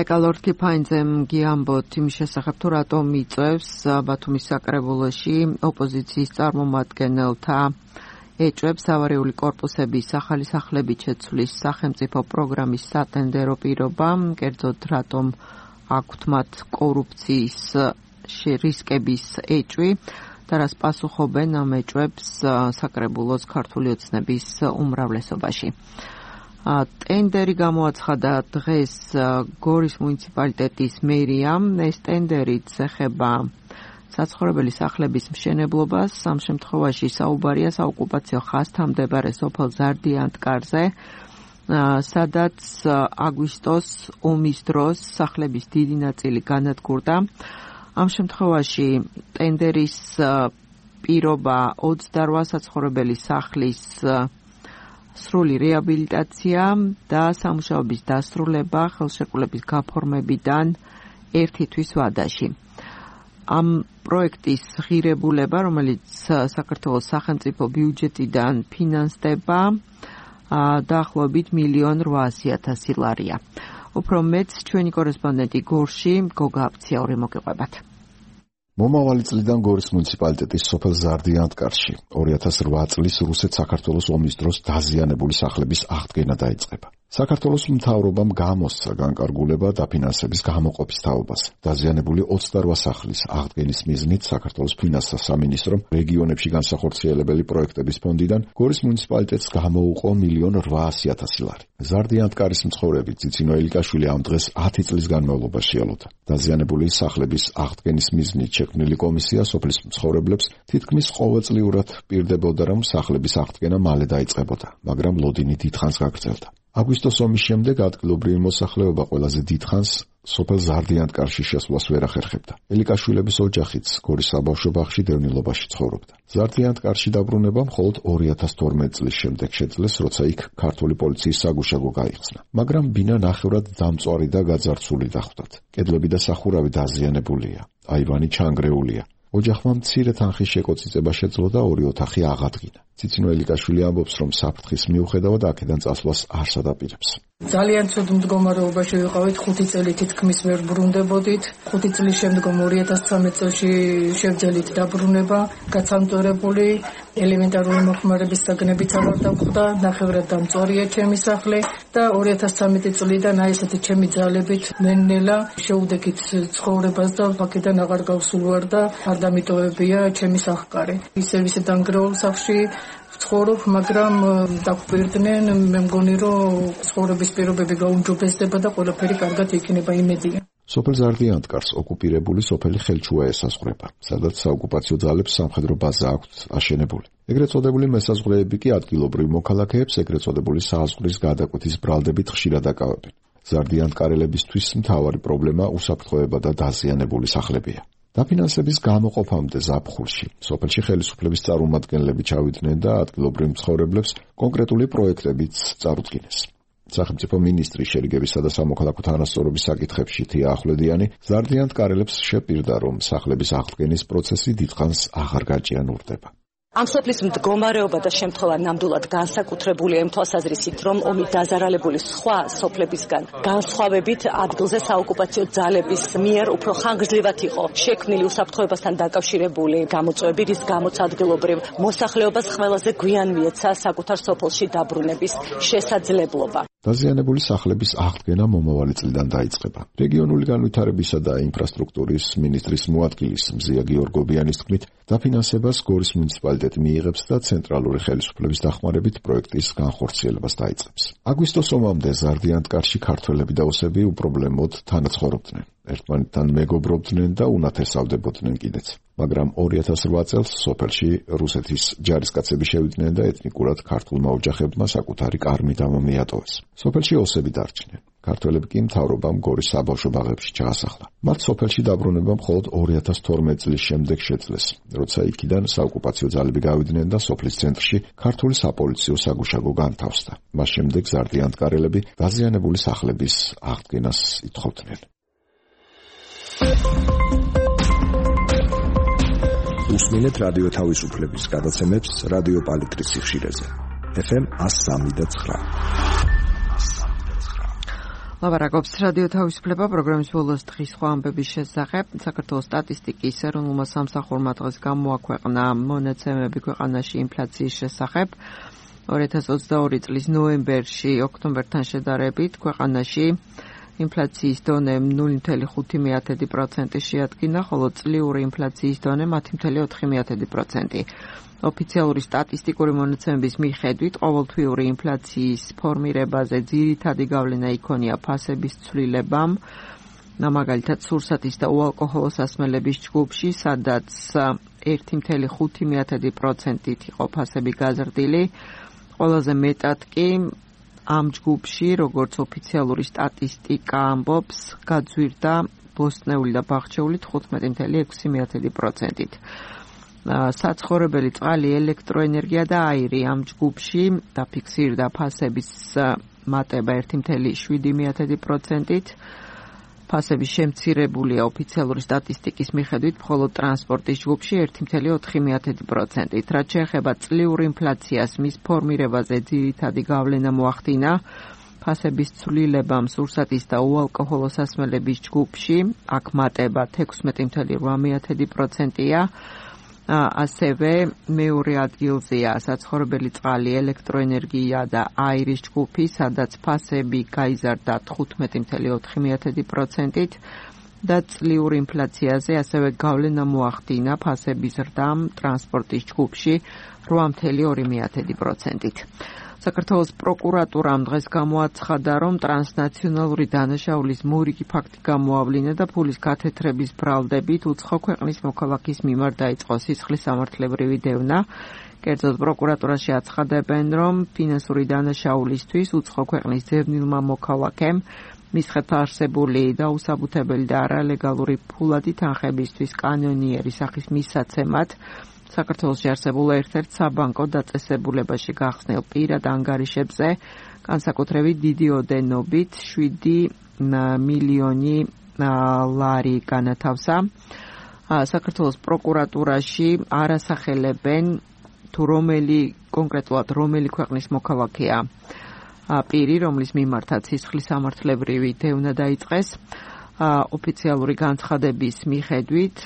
ეკალორ კიფაინძემ გიამბოთ იმ შესახებ, თუ რატომ იწევს ბათუმის საკრებულოში ოპოზიციის წარმომადგენელთა ეჭვებს ავარიული კორპუსების ახალი სახლებით შეცვლის სახელმწიფო პროგრამის სატენდერო პირობა, კერძოდ რატომ აქვთ მათ კორუფციის რისკების ეჭვი და რას პასუხობენ ამ ეჭვებს საკრებულოს ქართული ოცნების უმრავლესობაში. ტენდერი გამოაცხადა დღეს გორის მუნიციპალიტეტის მერიამ. ეს ტენდერიც ეხება საცხოვრებელი სახლების მშენებლობას. ამ შემთხვევაში საუბარია საოკუპაციო ხაზთან მდებარე სოფელ ზარდიანტკარზე, სადაც აგვისტოს ომის დროს სახლების დიდი ნაწილი განადგურდა. ამ შემთხვევაში ტენდერის პირობა 28 საცხოვრებელი სახლის სრული რეაბილიტაცია და სამუშაოების დასრულება ხელშეკრულების გაფორმებიდან 1 თვის ვადაში. ამ პროექტის ღირებულება, რომელიც საქართველოს სახელმწიფო ბიუჯეტიდან ფინანსდება, დაახლოებით 1,800,000 ლარია. უფრო მეც ჩვენი კორესპონდენტი გორში გოგა აფციაური მოგიყვებათ. მომავალი წლიდან გორის მუნიციპალიტეტის სოფელ ზარდიანტკარში 2008 წლის რუსეთ-საქართველოს ომის დროს დაზიანებული სახლების აღდგენა დაიწყება. საქართველოს მთავრობამ გამოსცა განკარგულება დაფინანსების გამოყოფის თაობას. დაზიანებული 28 სახლის აღდგენის მიზნით საქართველოს ფინანსთა სამინისტრომ რეგიონებში განსახორციელებელი პროექტების ფონდიდან გორის მუნიციპალიტეტს გამოუყო 1,800,000 ლარი. ზარდიანტკარის მცხოვრები ციცინო ელიკაშვილი ამ დღეს 10 წლის განმავლობაში ელოდა. დაზიანებული სახლების აღდგენის მიზნით შექმნილი კომისია სოფლის მცხოვრებლებს თითქმის ყოველწლიურად პირდებოდა, რომ სახლების აღდგენა მალე დაიწყებოდა, მაგრამ ლოდინი დიდხანს გაგრძელდა. აგვისტოს ომის შემდეგ ადგილობრივი მოსახლეობა ყველაზე დიდხანს სოფელ ზარდიანტკარში შესვლას ვერ ახერხებდა. ელიკაშვილების ოჯახიც გორის საბავშვო ბაღში დევნილობაში ცხოვრობდა. ზარდიანტკარში დაბრუნება მხოლოდ 2012 წლის შემდეგ შეძლეს, როცა იქ ქართული პოლიციის საგუშაგო გაიხსნა. მაგრამ ბინა ნახევრად დამწვარი და გაძარცული დახვდათ. კედლები და სახურავი დაზიანებულია, აივანი ჩანგრეულია. ოჯახმა მცირე თანხის შეკოწიწება შეძლო და 2 ოთახი აღადგინა. ციცინო ელიკაშვილი ამბობს, რომ საფრთხის მიუხედავად აქედან წასვლას არ სადაპირებს. ძალიან ცუდ მდგომარეობაში ვიყავით, 5 წელი თითქმის ვერ ბრუნდებოდით. 5 წლის შემდგომ 2013 წელს შევძელით დაბრუნება, გაცანწორებული. ელემენტარული მოხმარების საგნებიც აღარ დავხვდა, ნახევრად დამწვარია ჩემი სახლი და 2013 წლიდან აი ესეთი ჩემი ძალებით მენნელა შეუდექით ცხოვრებას და აქედან აღარ გავსულვარ და არ დამიტოვებია ჩემი სახკარი. ისე დანგრეულ სახლში ცხოვრობ, მაგრამ დაგვირდნენ, მე მგონი რომ ცხოვრების პირობები გაუმჯობესდება და ყველაფერი კარგად იქნება, იმედია. სოფელ ზარდიანტკარს ოკუპირებული სოფელი ხელჩუა ესაზღვრება, სადაც საოკუპაციო ძალებს სამხედრო ბაზა აქვთ აშენებული. ეგრეთ წოდებული მესაზღვრეები კი ადგილობრივ მოქალაქეებს ეგრეთ წოდებული საზღვრის გადაკვეთის ბრალდებით ხშირად აკავებენ. ზარდიანტკარელებისთვის მთავარი პრობლემა უსაფრთხოება და დაზიანებული სახლებია. დაფინანსების გამოყოფამდე ზაფხულში სოფელში ხელისუფლების წარმომადგენლები ჩავიდნენ და ადგილობრივ მცხოვრებლებს კონკრეტული პროექტებიც წარუდგინეს. სახელმწიფო მინისტრის შერიგებისა და სამოქალაქო თანასწორობის საკითხებში თია ახვლედიანი ზარდიანტკარელებს შეპირდა, რომ სახლების აღდგენის პროცესი დიდხანს აღარ გაჭიანურდება. ამ სოფლის მდგომარეობა და შემთხვევა ნამდვილად განსაკუთრებულია იმ თვალსაზრისით, რომ ომით დაზარალებული სხვა სოფლებისგან განსხვავებით ადგილზე საოკუპაციო ძალების მიერ უფრო ხანგრძლივად იყო შექმნილი უსაფრთხოებასთან დაკავშირებული გამოწვევები, რის გამოც ადგილობრივ მოსახლეობას ყველაზე გვიან მიეცა საკუთარ სოფელში დაბრუნების შესაძლებლობა. დაზიანებული სახლების აღდგენა მომავალი წლიდან დაიწყება. რეგიონული განვითარებისა და ინფრასტრუქტურის მინისტრის მოადგილის მზია გიორგობიანის თქმით, დაფინანსებას გორის მუნიციპალიტეტი მიიღებს და ცენტრალური ხელისუფლების დახმარებით პროექტის განხორციელებას დაიწყებს. აგვისტოს ომამდე ზარდიანტკარში ქართველები და ოსები უპრობლემოდ თანაცხოვრობდნენ. ერთმანეთთან მეგობრობდნენ და უნათესავდებოდნენ კიდეც. მაგრამ 2008 წელს სოფელში რუსეთის ჯარისკაცები შევიდნენ და ეთნიკურად ქართულმა ოჯახებმა საკუთარი კარ-მიდამო მიატოვეს. სოფელში ოსები დარჩნენ. ქართველები კი მთავრობამ გორის საბავშვო ბაღებში ჩაასახლა. მათ სოფელში დაბრუნება მხოლოდ 2012 წლის შემდეგ შეძლეს, როცა იქიდან საოკუპაციო ძალები გავიდნენ და სოფლის ცენტრში ქართული საპოლიციო საგუშაგო განთავსდა. მას შემდეგ ზარდიანტკარელები დაზიანებული სახლების აღდგენას ითხოვდნენ. უსმინეთ რადიო თავისუფლების გადაცემებს რადიო პალიტრის სიხშირეზე. FM 103.9. ლაბარაკობს რადიო თავისუფლება პროგრამის ბოლოს დღის სხვა ამბების შესახებ. საქართველოს სტატისტიკის ეროვნულმა სამსახურმა დღეს გამოაქვეყნა მონაცემები ქვეყანაში ინფლაციის შესახებ. 2022 წლის ნოემბერში ოქტომბერთან შედარებით ქვეყანაში ინფლაციის დონე 0.5% შეადგინა, ხოლო წლიური ინფლაციის დონე 10.4%. ოფიციალური სტატისტიკური მონაცემების მიხედვით, ყოველთვიური ინფლაციის ფორმირებაზე ძირითადი გავლენა იქონია ფასების ცვლილებამ, მაგალითად სურსათის და უალკოჰოლო სასმელების ჯგუფში, სადაც 1.5%-ით იყო ფასები გაზრდილი, ყველაზე მეტად კი ამ ჯგუფში, როგორც ოფიციალური სტატისტიკა ამბობს, გაძვირდა ბოსტნეული და ბაღჩეული 15.6%-ით. საცხოვრებელი წყალი, ელექტროენერგია და აირი ამ ჯგუფში დაფიქსირდა ფასების მატება 1.7%-ით. ფასები შემცირებულია ოფიციალური სტატისტიკის მიხედვით, მხოლოდ ტრანსპორტის ჯგუფში 1.4%-ით. რაც შეეხება წლიურ ინფლაციას, მის ფორმირებაზე ძირითადი გავლენა მოახდინა ფასების ცვლილებამ სურსათის და უალკოჰოლო სასმელების ჯგუფში, აქ მატება 16.8%-ია. ასევე მეორე ადგილზეა საცხოვრებელი წყალი, ელექტროენერგია და აირის ჯგუფი, სადაც ფასები გაიზარდა 15.4%-ით და წლიურ ინფლაციაზე ასევე გავლენა მოახდინა ფასების ზრდამ ტრანსპორტის ჯგუფში 8.2%-ით. საქართველოს პროკურატურამ დღეს გამოაცხადა, რომ ტრანსნაციონალური დანაშაულის მორიგი ფაქტი გამოავლინა და ფულის გათეთრების ბრალდებით უცხო ქვეყნის მოქალაქის მიმართ დაიწყო სისხლის სამართლებრივი დევნა. კერძოდ პროკურატურაში აცხადებენ, რომ ფინანსური დანაშაულისთვის უცხო ქვეყნის ძებნილმა მოქალაქემ მისხეთ არსებული დაუსაბუთებელი და არალეგალური ფულადი თანხებისთვის კანონიერი სახის მისაცემად საქართველოში არსებულ ერთ-ერთ საბანკო დაწესებულებაში გახსნილ პირად ანგარიშებზე განსაკუთრებით დიდი ოდენობით 7 მილიონი ლარი განათავსა. საქართველოს პროკურატურაში არასახელებენ თუ კონკრეტულად რომელი ქვეყნის მოქალაქეა პირი, რომლის მიმართაც სისხლის სამართლებრივი დევნა დაიწყეს. ოფიციალური განცხადების მიხედვით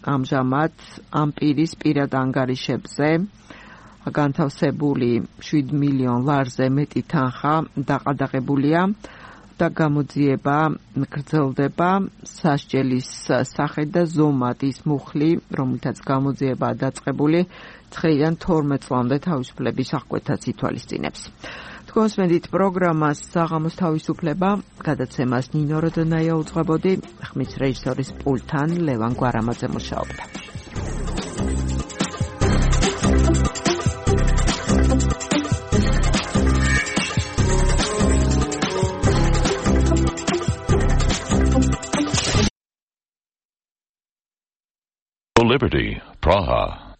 ამჟამად ამ პირის პირად ანგარიშებზე განთავსებული 7 მილიონ ლარზე მეტი თანხა დაყადაღებულია და გამოძიება გრძელდება სასჯელის სახით და ზომად ის მუხლი, რომელთაც გამოძიებაა დაწყებული 9-დან 12 წლამდე თავისუფლების აღკვეთაც ითვალისწინებს. თქვენსმენდით პროგრამას საღამოს თავისუფლება, გადაცემას ნინო როდონაია უძღვებოდი, ხმის რეჟისორის პულტთან ლევან გვარამაძე მუშაობდა. Liberty, Praha.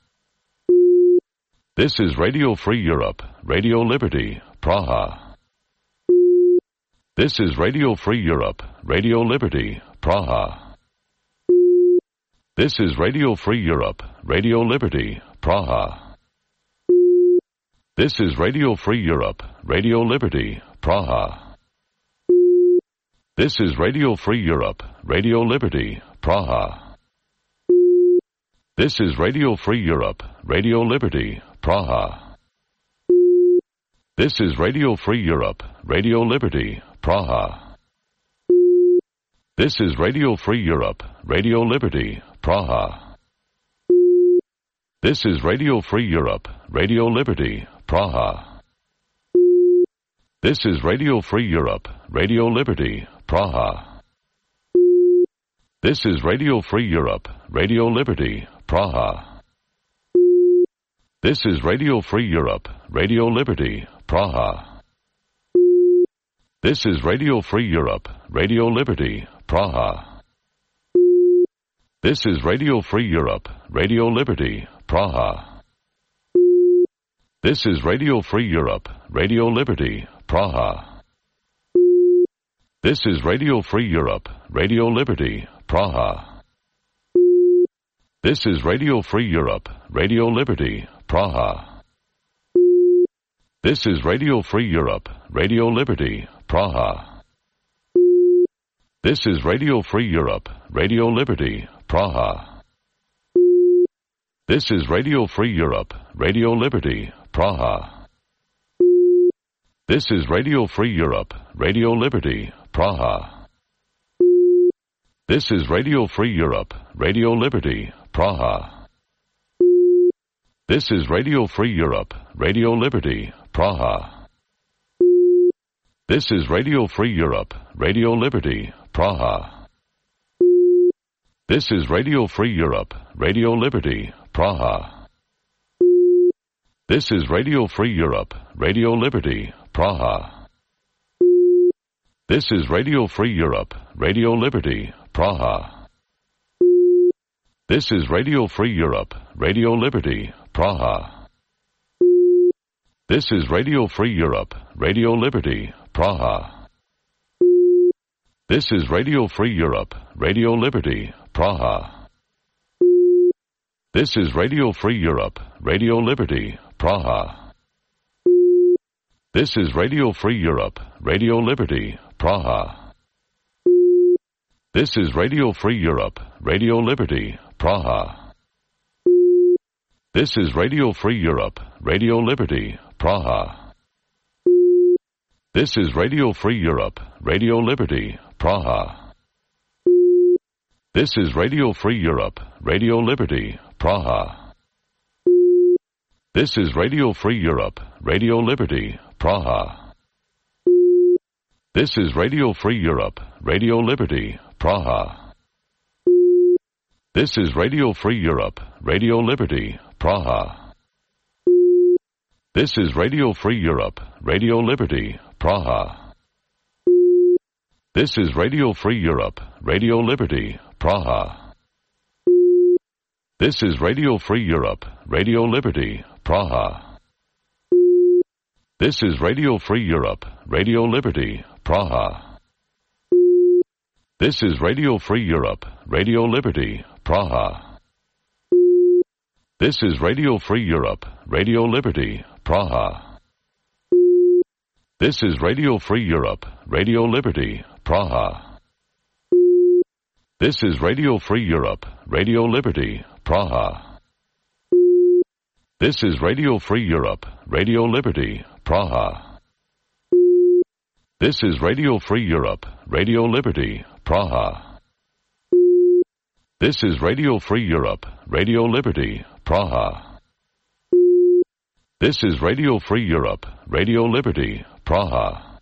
This is Radio Free Europe, Radio Liberty, Praha. This is Radio Free Europe, Radio Liberty, Praha. This is Radio Free Europe, Radio Liberty, Praha. This is Radio Free Europe, Radio Liberty, Praha. This is Radio Free Europe, Radio Liberty, Praha. This is Radio Free Europe, Radio Liberty, Praha. This is Radio Free Europe, Radio Liberty, Praha. This is Radio Free Europe, Radio Liberty, Praha. This is Radio Free Europe, Radio Liberty, Praha. This is Radio Free Europe, Radio Liberty, Praha. This is Radio Free Europe, Radio Liberty, Praha. This is Radio Free Europe, Radio Liberty, Praha. This is Radio Free Europe, Radio Liberty, Praha. This is Radio Free Europe, Radio Liberty, Praha. This is Radio Free Europe, Radio Liberty, Praha. This is Radio Free Europe, Radio Liberty, Praha. This is Radio Free Europe, Radio Liberty, Praha. This is Radio Free Europe, Radio Liberty, Praha. This is Radio Free Europe, Radio Liberty, Praha. This is Radio Free Europe, Radio Liberty, Praha. This is Radio Free Europe, Radio Liberty, Praha. This is Radio Free Europe, Radio Liberty, Praha. This is Radio Free Europe, Radio Liberty, Praha. This is Radio Free Europe, Radio Liberty, Praha. This is Radio Free Europe, Radio Liberty, Praha. This is Radio Free Europe, Radio Liberty, Praha. This is Radio Free Europe, Radio Liberty, Praha. This is Radio Free Europe, Radio Liberty, Praha. This is Radio Free Europe, Radio Liberty, Praha. This is Radio Free Europe, Radio Liberty, Praha. This is Radio Free Europe, Radio Liberty, Praha. This is Radio Free Europe, Radio Liberty, Praha. This is Radio Free Europe, Radio Liberty, Praha. This is Radio Free Europe, Radio Liberty, Praha. This is Radio Free Europe, Radio Liberty, Praha. This is Radio Free Europe, Radio Liberty, Praha. This is Radio Free Europe, Radio Liberty, Praha. This is Radio Free Europe, Radio Liberty, Praha. This is Radio Free Europe, Radio Liberty, Praha. This is Radio Free Europe, Radio Liberty, Praha. This is Radio Free Europe, Radio Liberty, Praha. This is Radio Free Europe, Radio Liberty, Praha. This is Radio Free Europe, Radio Liberty, Praha. This is Radio Free Europe, Radio Liberty, Praha. This is Radio Free Europe, Radio Liberty, Praha. This is Radio Free Europe, Radio Liberty, Praha. This is Radio Free Europe, Radio Liberty, Praha. This is Radio Free Europe, Radio Liberty, Praha. This is Radio Free Europe, Radio Liberty, Praha. This is Radio Free Europe, Radio Liberty, Praha. This is Radio Free Europe, Radio Liberty, Praha.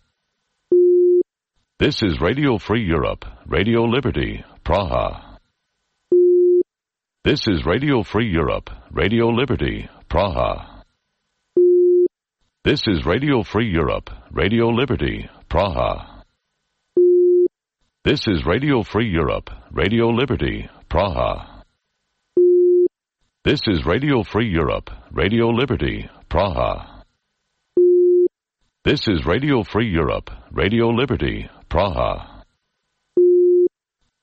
This is Radio Free Europe, Radio Liberty, Praha. This is Radio Free Europe, Radio Liberty, Praha. This is Radio Free Europe, Radio Liberty, Praha. This is Radio Free Europe, Radio Liberty, Praha. This is Radio Free Europe, Radio Liberty, Praha. This is Radio Free Europe, Radio Liberty, Praha.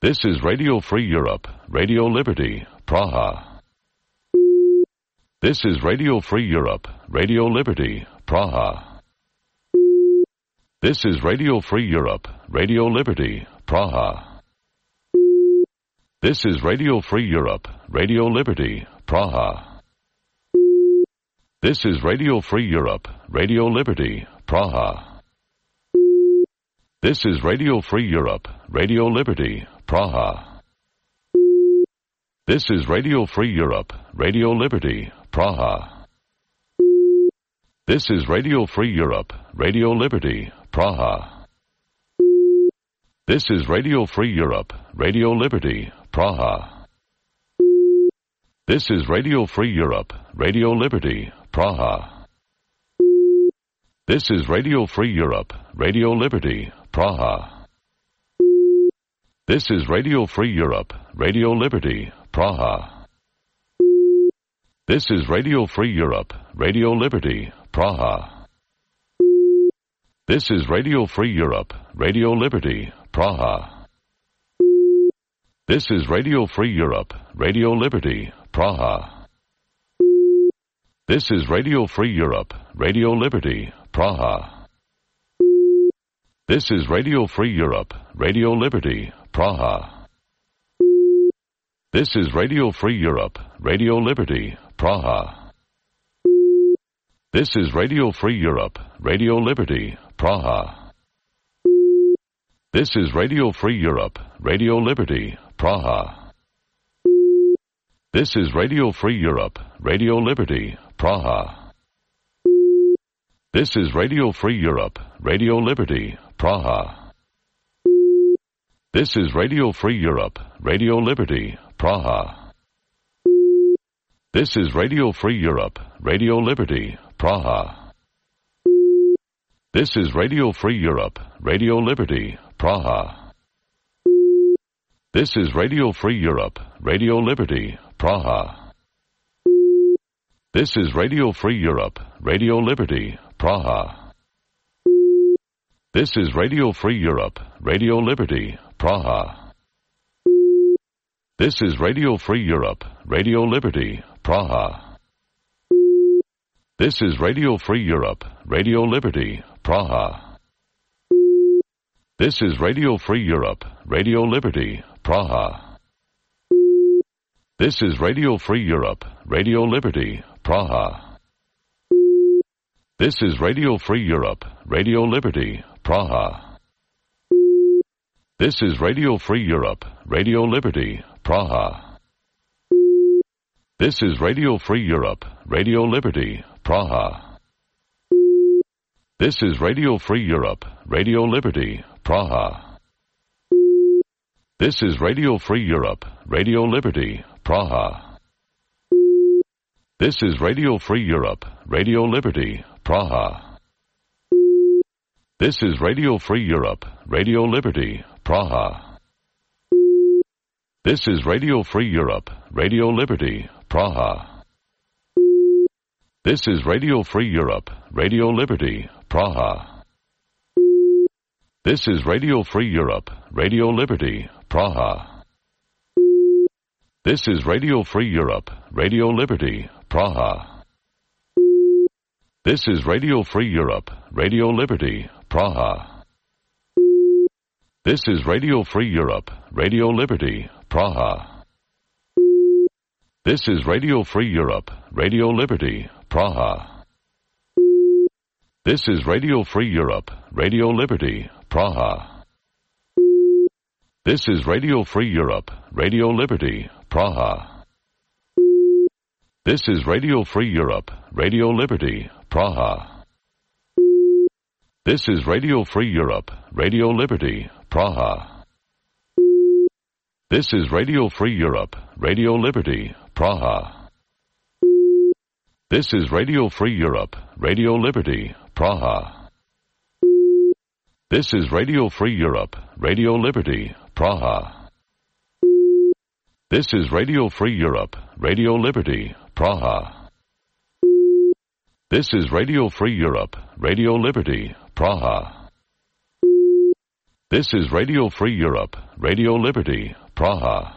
This is Radio Free Europe, Radio Liberty, Praha. This is Radio Free Europe, Radio Liberty, Praha. This is Radio Free Europe, Radio Liberty, Praha. This is Radio Free Europe, Radio Liberty, Praha. This is Radio Free Europe, Radio Liberty, Praha. This is Radio Free Europe, Radio Liberty, Praha. This is Radio Free Europe, Radio Liberty, Praha. This is Radio Free Europe, Radio Liberty, Praha. This is Radio Free Europe, Radio Liberty, Praha. This is Radio Free Europe, Radio Liberty, Praha. This is Radio Free Europe, Radio Liberty, Praha. This is Radio Free Europe, Radio Liberty, Praha. This is Radio Free Europe, Radio Liberty, Praha. This is Radio Free Europe, Radio Liberty, Praha. This is Radio Free Europe, Radio Liberty, Praha. This is Radio Free Europe, Radio Liberty, Praha. This is Radio Free Europe, Radio Liberty, Praha. This is Radio Free Europe, Radio Liberty, Praha. This is Radio Free Europe, Radio Liberty, Praha. This is Radio Free Europe, Radio Liberty, Praha. This is Radio Free Europe, Radio Liberty, Praha. This is Radio Free Europe, Radio Liberty, Praha. This is Radio Free Europe, Radio Liberty, Praha. This is Radio Free Europe, Radio Liberty, Praha. This is Radio Free Europe, Radio Liberty, Praha. This is Radio Free Europe, Radio Liberty, Praha. This is Radio Free Europe, Radio Liberty, Praha. This is Radio Free Europe, Radio Liberty, Praha. This is Radio Free Europe, Radio Liberty, Praha. This is Radio Free Europe, Radio Liberty, Praha. This is Radio Free Europe, Radio Liberty, Praha. This is Radio Free Europe, Radio Liberty, Praha. This is Radio Free Europe, Radio Liberty, Praha. This is Radio Free Europe, Radio Liberty, Praha. This is Radio Free Europe, Radio Liberty, Praha. This is Radio Free Europe, Radio Liberty, Praha. This is Radio Free Europe, Radio Liberty, Praha. This is Radio Free Europe, Radio Liberty, Praha. This is Radio Free Europe, Radio Liberty, Praha. This is Radio Free Europe, Radio Liberty, Praha. This is Radio Free Europe, Radio Liberty, Praha. This is Radio Free Europe, Radio Liberty, Praha. This is Radio Free Europe, Radio Liberty, Praha. This is Radio Free Europe, Radio Liberty, Praha. This is Radio Free Europe, Radio Liberty, Praha. This is Radio Free Europe, Radio Liberty, Praha. This is Radio Free Europe, Radio Liberty, Praha. This is Radio Free Europe, Radio Liberty, Praha. This is Radio Free Europe, Radio Liberty, Praha. This is Radio Free Europe, Radio Liberty, Praha. This is Radio Free Europe, Radio Liberty, Praha. This is Radio Free Europe, Radio Liberty, Praha. This is Radio Free Europe, Radio Liberty, Praha. This is Radio Free Europe, Radio Liberty, Praha. This is Radio Free Europe, Radio Liberty, Praha. This is Radio Free Europe, Radio Liberty, Praha.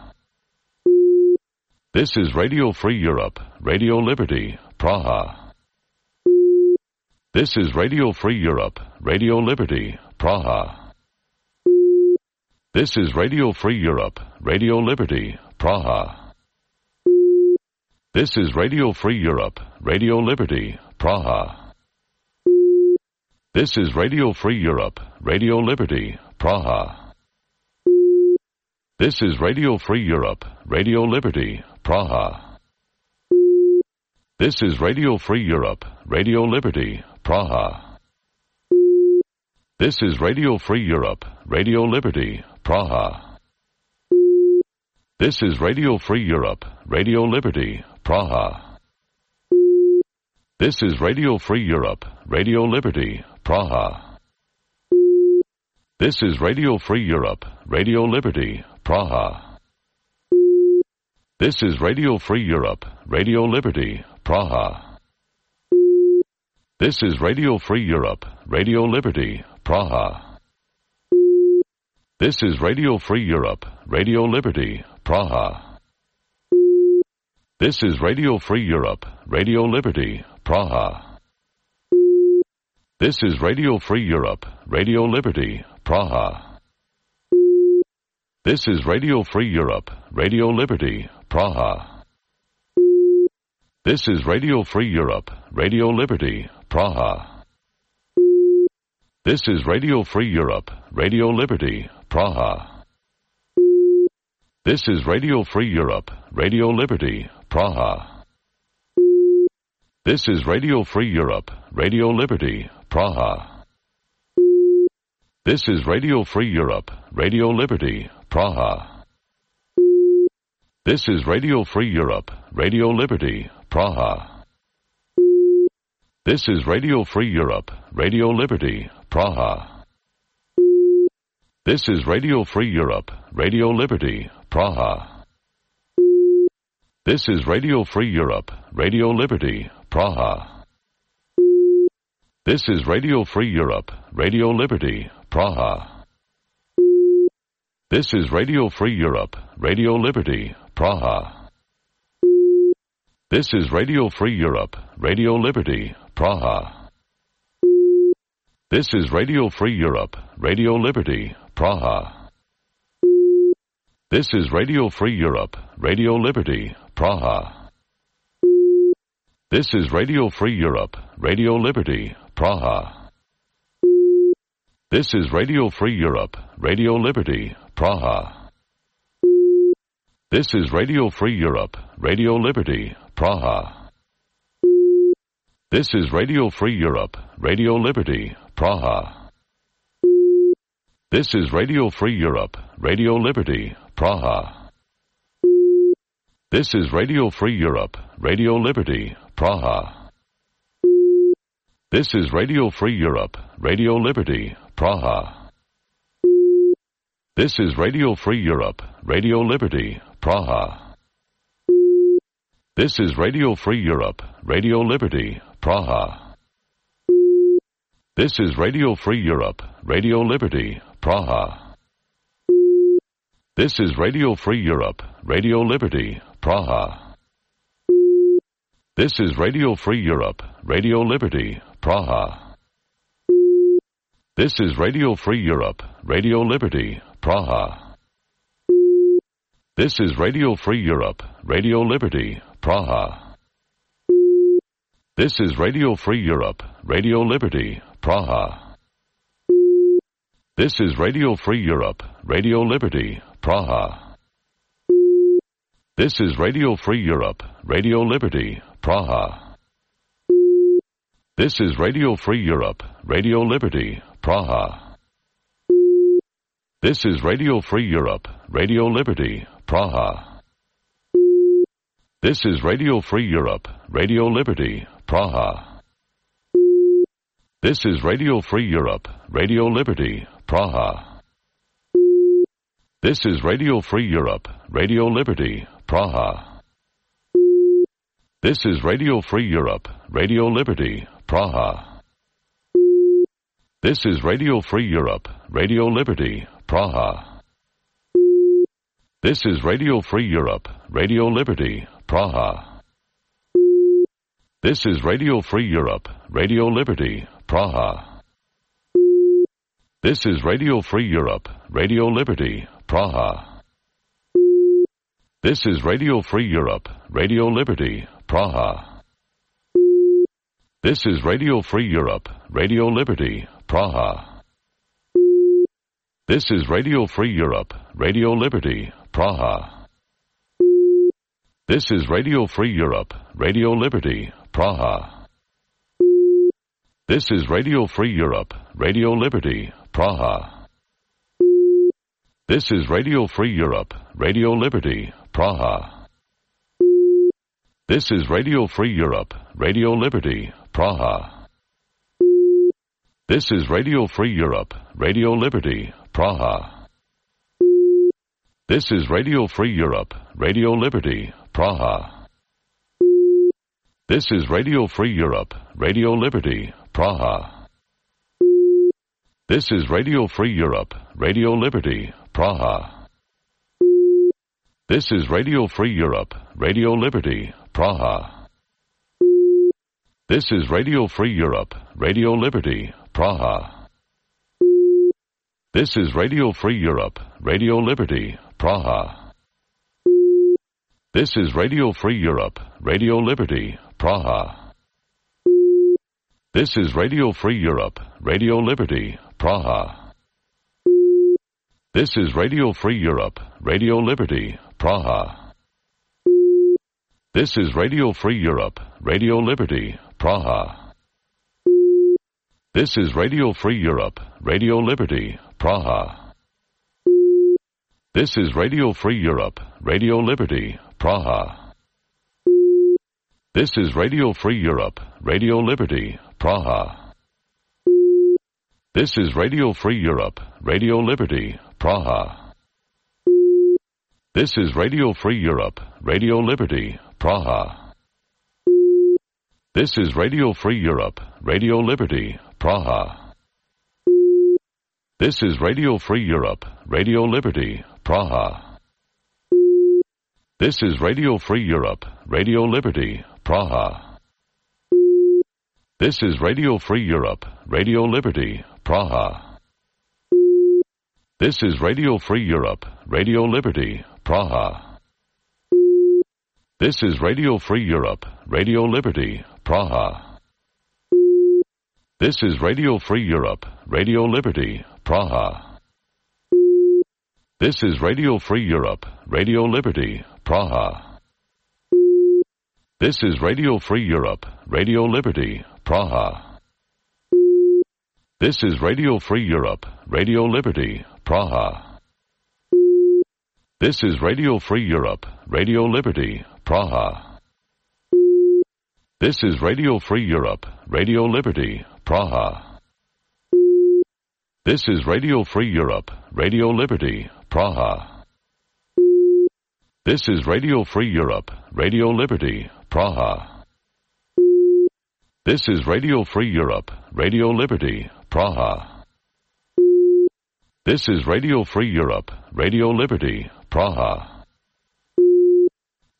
This is Radio Free Europe, Radio Liberty, Praha. This is Radio Free Europe, Radio Liberty, Praha. This is Radio Free Europe, Radio Liberty, Praha. This is Radio Free Europe, Radio Liberty, Praha. This is Radio Free Europe, Radio Liberty, Praha. This is Radio Free Europe, Radio Liberty, Praha. This is Radio Free Europe, Radio Liberty, Praha. This is Radio Free Europe, Radio Liberty, Praha. This is Radio Free Europe, Radio Liberty, Praha. This is Radio Free Europe, Radio Liberty, Praha. This is Radio Free Europe, Radio Liberty, Praha. This is Radio Free Europe, Radio Liberty, Praha. This is Radio Free Europe, Radio Liberty, Praha. This is Radio Free Europe, Radio Liberty, Praha. This is Radio Free Europe, Radio Liberty, Praha. This is Radio Free Europe, Radio Liberty, Praha. This is Radio Free Europe, Radio Liberty, Praha. This is Radio Free Europe, Radio Liberty, Praha. This is Radio Free Europe, Radio Liberty, Praha. This is Radio Free Europe, Radio Liberty, Praha. This is Radio Free Europe, Radio Liberty, Praha. This is Radio Free Europe, Radio Liberty, Praha. This is Radio Free Europe, Radio Liberty, Praha. This is Radio Free Europe, Radio Liberty, Praha. This is Radio Free Europe, Radio Liberty, Praha. This is Radio Free Europe, Radio Liberty, Praha. This is Radio Free Europe, Radio Liberty, Praha. This is Radio Free Europe, Radio Liberty, Praha. This is Radio Free Europe, Radio Liberty, Praha. This is Radio Free Europe, Radio Liberty, Praha. This is Radio Free Europe, Radio Liberty, Praha. This is Radio Free Europe, Radio Liberty, Praha. This is Radio Free Europe, Radio Liberty, Praha. This is Radio Free Europe, Radio Liberty, Praha. This is Radio Free Europe, Radio Liberty, Praha. This is Radio Free Europe, Radio Liberty, Praha. This is Radio Free Europe, Radio Liberty, Praha. This is Radio Free Europe, Radio Liberty, Praha. This is Radio Free Europe, Radio Liberty, Praha. This is Radio Free Europe, Radio Liberty, Praha. This is Radio Free Europe, Radio Liberty, Praha. This is Radio Free Europe, Radio Liberty, Praha. This is Radio Free Europe, Radio Liberty, Praha. This is Radio Free Europe, Radio Liberty, Praha. This is Radio Free Europe, Radio Liberty, Praha. This is Radio Free Europe, Radio Liberty, Praha. This is Radio Free Europe, Radio Liberty, Praha. This is Radio Free Europe, Radio Liberty, Praha. This is Radio Free Europe, Radio Liberty, Praha. This is Radio Free Europe, Radio Liberty, Praha. This is Radio Free Europe, Radio Liberty, Praha. This is Radio Free Europe, Radio Liberty, Praha. This is Radio Free Europe, Radio Liberty, Praha. This is Radio Free Europe, Radio Liberty, Praha. This is Radio Free Europe, Radio Liberty, Praha. This is Radio Free Europe, Radio Liberty, Praha. This is Radio Free Europe, Radio Liberty, Praha. This is Radio Free Europe, Radio Liberty, Praha. This is Radio Free Europe, Radio Liberty, Praha. This is Radio Free Europe, Radio Liberty, Praha. This is Radio Free Europe, Radio Liberty, Praha. This is Radio Free Europe, Radio Liberty, Praha. This is Radio Free Europe, Radio Liberty, Praha. This is Radio Free Europe, Radio Liberty, Praha. This is Radio Free Europe, Radio Liberty, Praha. This is Radio Free Europe, Radio Liberty, Praha. This is Radio Free Europe, Radio Liberty, Praha. This is Radio Free Europe, Radio Liberty, Praha. This is Radio Free Europe, Radio Liberty, Praha. This is Radio Free Europe, Radio Liberty, Praha. This is Radio Free Europe, Radio Liberty, Praha. This is Radio Free Europe, Radio Liberty, Praha. This is Radio Free Europe, Radio Liberty, Praha. This is Radio Free Europe, Radio Liberty, Praha. This is Radio Free Europe, Radio Liberty, Praha. This is Radio Free Europe, Radio Liberty, Praha. This is Radio Free Europe, Radio Liberty, Praha. This is Radio Free Europe, Radio Liberty, Praha. This is Radio Free Europe, Radio Liberty, Praha. This is Radio Free Europe, Radio Liberty, Praha. This is Radio Free Europe, Radio Liberty, Praha. This is Radio Free Europe, Radio Liberty, Praha. This is Radio Free Europe, Radio Liberty, Praha. This is Radio Free Europe, Radio Liberty, Praha. This is Radio Free Europe, Radio Liberty, Praha. This is Radio Free Europe, Radio Liberty, Praha. This is Radio Free Europe, Radio Liberty, Praha. This is Radio Free Europe, Radio Liberty, Praha. This is Radio Free Europe, Radio Liberty, Praha. This is Radio Free Europe, Radio Liberty, Praha. This is Radio Free Europe, Radio Liberty, Praha. This is Radio Free Europe, Radio Liberty, Praha. This is Radio Free Europe, Radio Liberty, Praha. This is Radio Free Europe, Radio Liberty, Praha. This is Radio Free Europe, Radio Liberty, Praha. This is Radio Free Europe, Radio Liberty, Praha. This is Radio Free Europe, Radio Liberty, Praha.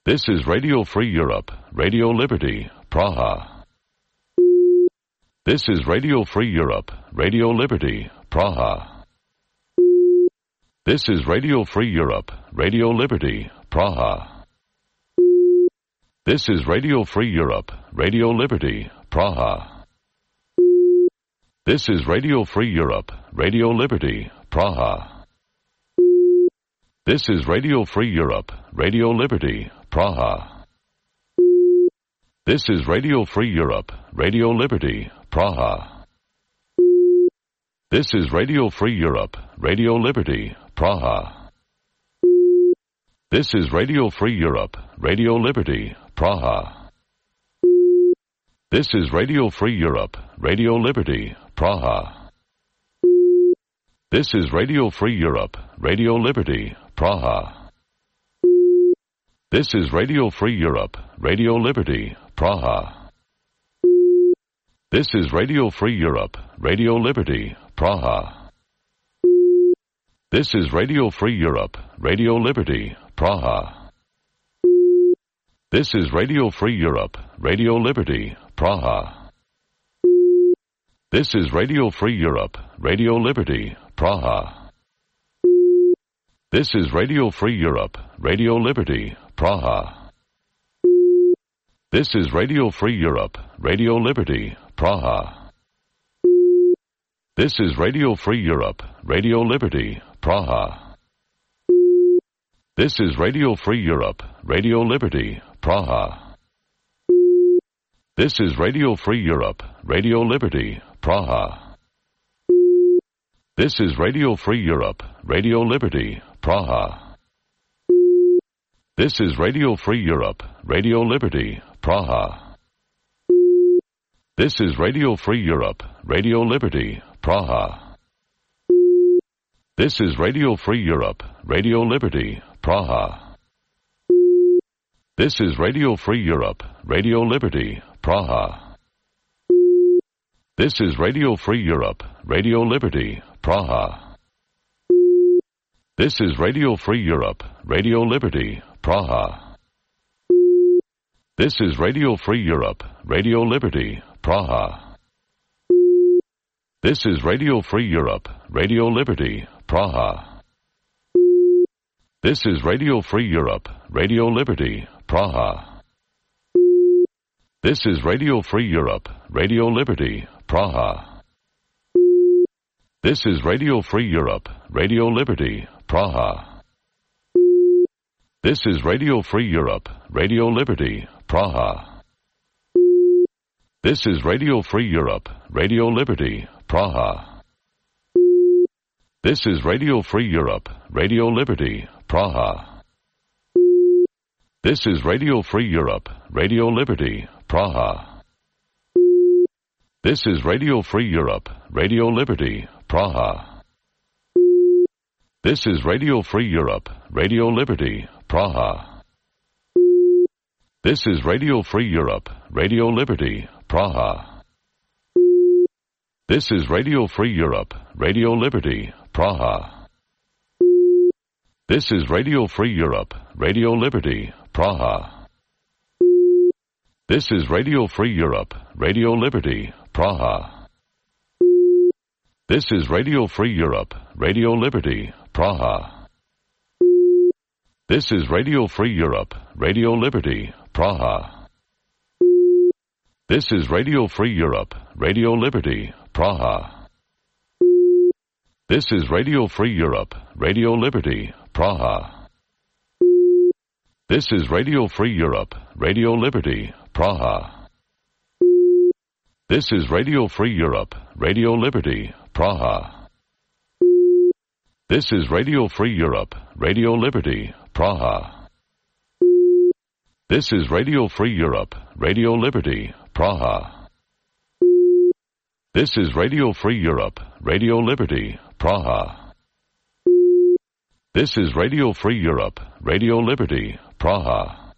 This is Radio Free Europe, Radio Liberty, Praha. This is Radio Free Europe, Radio Liberty, Praha. This is Radio Free Europe, Radio Liberty, Praha. This is Radio Free Europe, Radio Liberty, Praha. This is Radio Free Europe, Radio Liberty, Praha. This is Radio Free Europe, Radio Liberty, Praha. This is Radio Free Europe, Radio Liberty, Praha. This is Radio Free Europe, Radio Liberty, Praha. This is Radio Free Europe, Radio Liberty, Praha. This is Radio Free Europe, Radio Liberty, Praha. This is Radio Free Europe, Radio Liberty, Praha. This is Radio Free Europe, Radio Liberty, Praha. This is Radio Free Europe, Radio Liberty, Praha. This is Radio Free Europe, Radio Liberty, Praha. This is Radio Free Europe, Radio Liberty, Praha. This is Radio Free Europe, Radio Liberty, Praha. This is Radio Free Europe, Radio Liberty, Praha. This is Radio Free Europe, Radio Liberty, Praha. This is Radio Free Europe, Radio Liberty, Praha. This is Radio Free Europe, Radio Liberty, Praha. This is Radio Free Europe, Radio Liberty, Praha. This is Radio Free Europe, Radio Liberty, Praha. This is Radio Free Europe, Radio Liberty, Praha. This is Radio Free Europe, Radio Liberty, Praha. This is Radio Free Europe, Radio Liberty, Praha. This is Radio Free Europe, Radio Liberty, Praha. This is Radio Free Europe, Radio Liberty, Praha. This is Radio Free Europe, Radio Liberty, Praha. This is Radio Free Europe, Radio Liberty, Praha. This is Radio Free Europe, Radio Liberty, Praha. This is Radio Free Europe, Radio Liberty, Praha. This is Radio Free Europe, Radio Liberty, Praha. This is Radio Free Europe, Radio Liberty, Praha. This is Radio Free Europe, Radio Liberty, Praha. This is Radio Free Europe, Radio Liberty, Praha. This is Radio Free Europe, Radio Liberty, Praha. This is Radio Free Europe, Radio Liberty, Praha. This is Radio Free Europe, Radio Liberty, Praha. This is Radio Free Europe, Radio Liberty, Praha. This is Radio Free Europe, Radio Liberty, Praha. This is Radio Free Europe, Radio Liberty, Praha. This is Radio Free Europe, Radio Liberty, Praha. This is Radio Free Europe, Radio Liberty, Praha. This is Radio Free Europe, Radio Liberty, Praha. This is Radio Free Europe, Radio Liberty, Praha. This is Radio Free Europe, Radio Liberty, Praha. This is Radio Free Europe, Radio Liberty, Praha. This is Radio Free Europe, Radio Liberty, Praha. This is Radio Free Europe, Radio Liberty, Praha. This is Radio Free Europe, Radio Liberty, Praha. This is Radio Free Europe, Radio Liberty, Praha. This is Radio Free Europe, Radio Liberty, Praha. This is Radio Free Europe, Radio Liberty, Praha.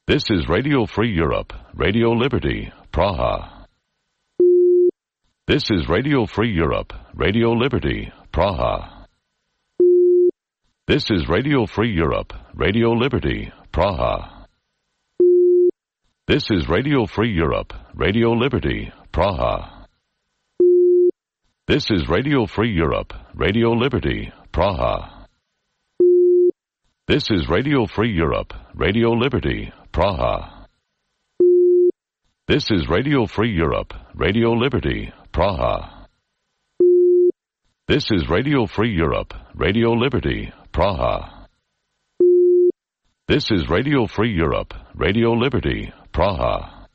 This is Radio Free Europe, Radio Liberty, Praha. This is Radio Free Europe, Radio Liberty, Praha. This is Radio Free Europe, Radio Liberty, Praha. This is Radio Free Europe, Radio Liberty, Praha. This is Radio Free Europe, Radio Liberty, Praha. This is Radio Free Europe, Radio Liberty, Praha. This is Radio Free Europe, Radio Liberty, Praha. This is Radio Free Europe, Radio Liberty, Praha. This is Radio Free Europe, Radio Liberty, Praha.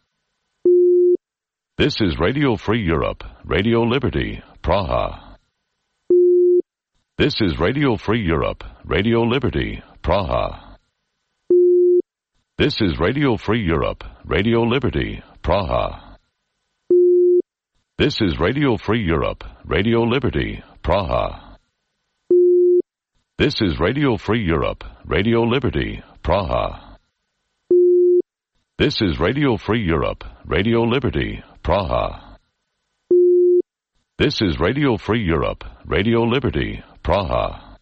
This is Radio Free Europe, Radio Liberty, Praha. This is Radio Free Europe, Radio Liberty, Praha. This is Radio Free Europe, Radio Liberty, Praha. This is Radio Free Europe, Radio Liberty, Praha. This is Radio Free Europe, Radio Liberty, Praha. This is Radio Free Europe, Radio Liberty, Praha. This is Radio Free Europe, Radio Liberty, Praha.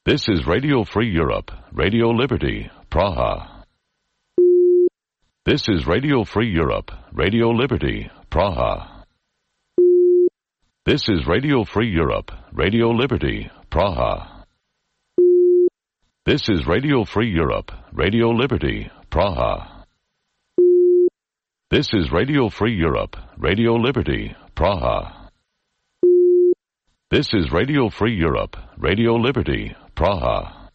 This is Radio Free Europe, Radio Liberty, Praha. This is Radio Free Europe, Radio Liberty, Praha. This is Radio Free Europe, Radio Liberty, Praha. This is Radio Free Europe, Radio Liberty, Praha. This is Radio Free Europe, Radio Liberty, Praha. This is Radio Free Europe, Radio Liberty, Praha.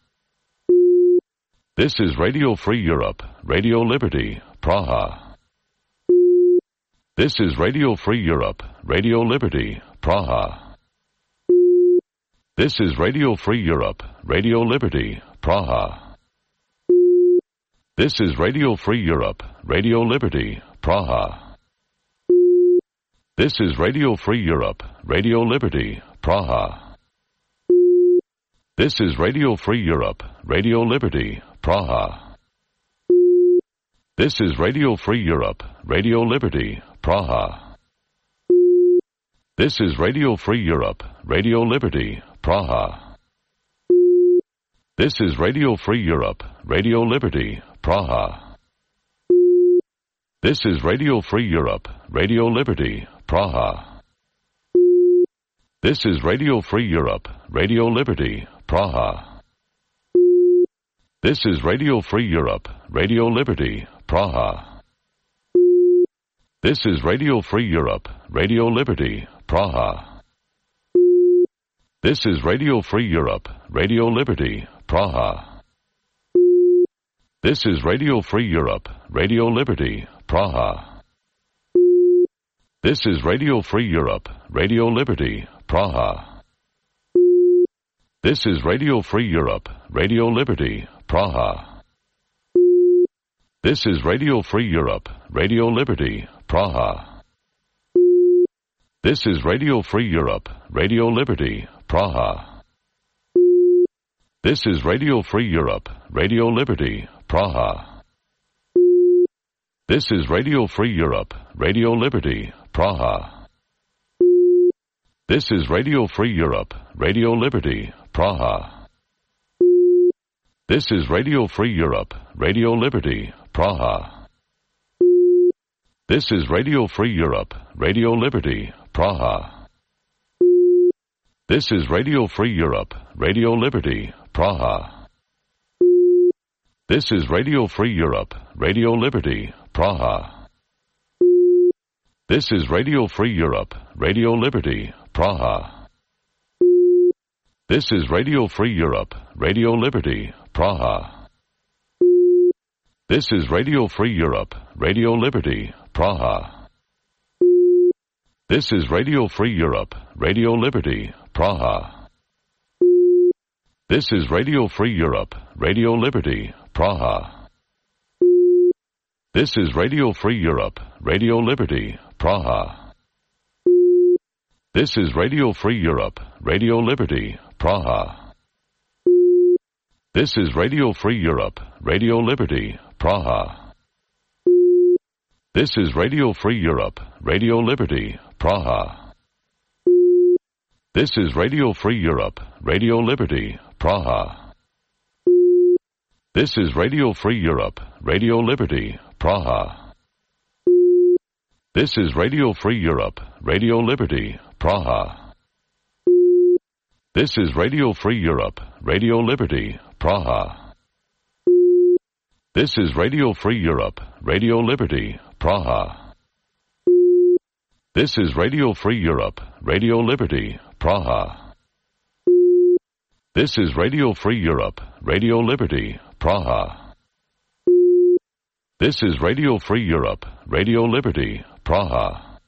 This is Radio Free Europe, Radio Liberty, Praha. This is Radio Free Europe, Radio Liberty, Praha. This is Radio Free Europe, Radio Liberty, Praha. This is Radio Free Europe, Radio Liberty, Praha. This is Radio Free Europe, Radio Liberty, Praha. This is Radio Free Europe, Radio Liberty, Praha. This is Radio Free Europe, Radio Liberty, Praha. This is Radio Free Europe, Radio Liberty, Praha. This is Radio Free Europe, Radio Liberty, Praha. This is Radio Free Europe, Radio Liberty, Praha. This is Radio Free Europe, Radio Liberty, Praha. This is Radio Free Europe, Radio Liberty, Praha. This is Radio Free Europe, Radio Liberty, Praha. This is Radio Free Europe, Radio Liberty, Praha. This is Radio Free Europe, Radio Liberty, Praha. This is Radio Free Europe, Radio Liberty, Praha. This is Radio Free Europe, Radio Liberty, Praha. This is Radio Free Europe, Radio Liberty, Praha. This is Radio Free Europe, Radio Liberty, Praha. This is Radio Free Europe, Radio Liberty, Praha. This is Radio Free Europe, Radio Liberty, Praha. This is Radio Free Europe, Radio Liberty, Praha. This is Radio Free Europe, Radio Liberty, Praha. This is Radio Free Europe, Radio Liberty, Praha. This is Radio Free Europe, Radio Liberty, Praha. This is Radio Free Europe, Radio Liberty, Praha. This is Radio Free Europe, Radio Liberty, Praha. This is Radio Free Europe, Radio Liberty, Praha. This is Radio Free Europe, Radio Liberty, Praha. This is Radio Free Europe, Radio Liberty, Praha. This is Radio Free Europe, Radio Liberty, Praha. This is Radio Free Europe, Radio Liberty, Praha. This is Radio Free Europe, Radio Liberty, Praha. This is Radio Free Europe, Radio Liberty, Praha. This is Radio Free Europe, Radio Liberty, Praha. This is Radio Free Europe, Radio Liberty, Praha. This is Radio Free Europe, Radio Liberty, Praha. This is Radio Free Europe, Radio Liberty, Praha. This is Radio Free Europe, Radio Liberty, Praha. This is Radio Free Europe, Radio Liberty, Praha. This is Radio Free Europe, Radio Liberty, Praha. This is Radio Free Europe, Radio Liberty, Praha. This is Radio Free Europe, Radio Liberty, Praha.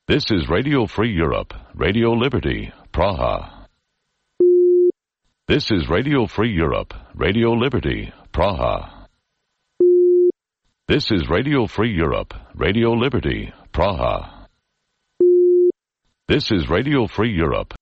This is Radio Free Europe, Radio Liberty, Praha. This is Radio Free Europe, Radio Liberty, Praha. This is Radio Free Europe, Radio Liberty, Praha. This is Radio Free Europe,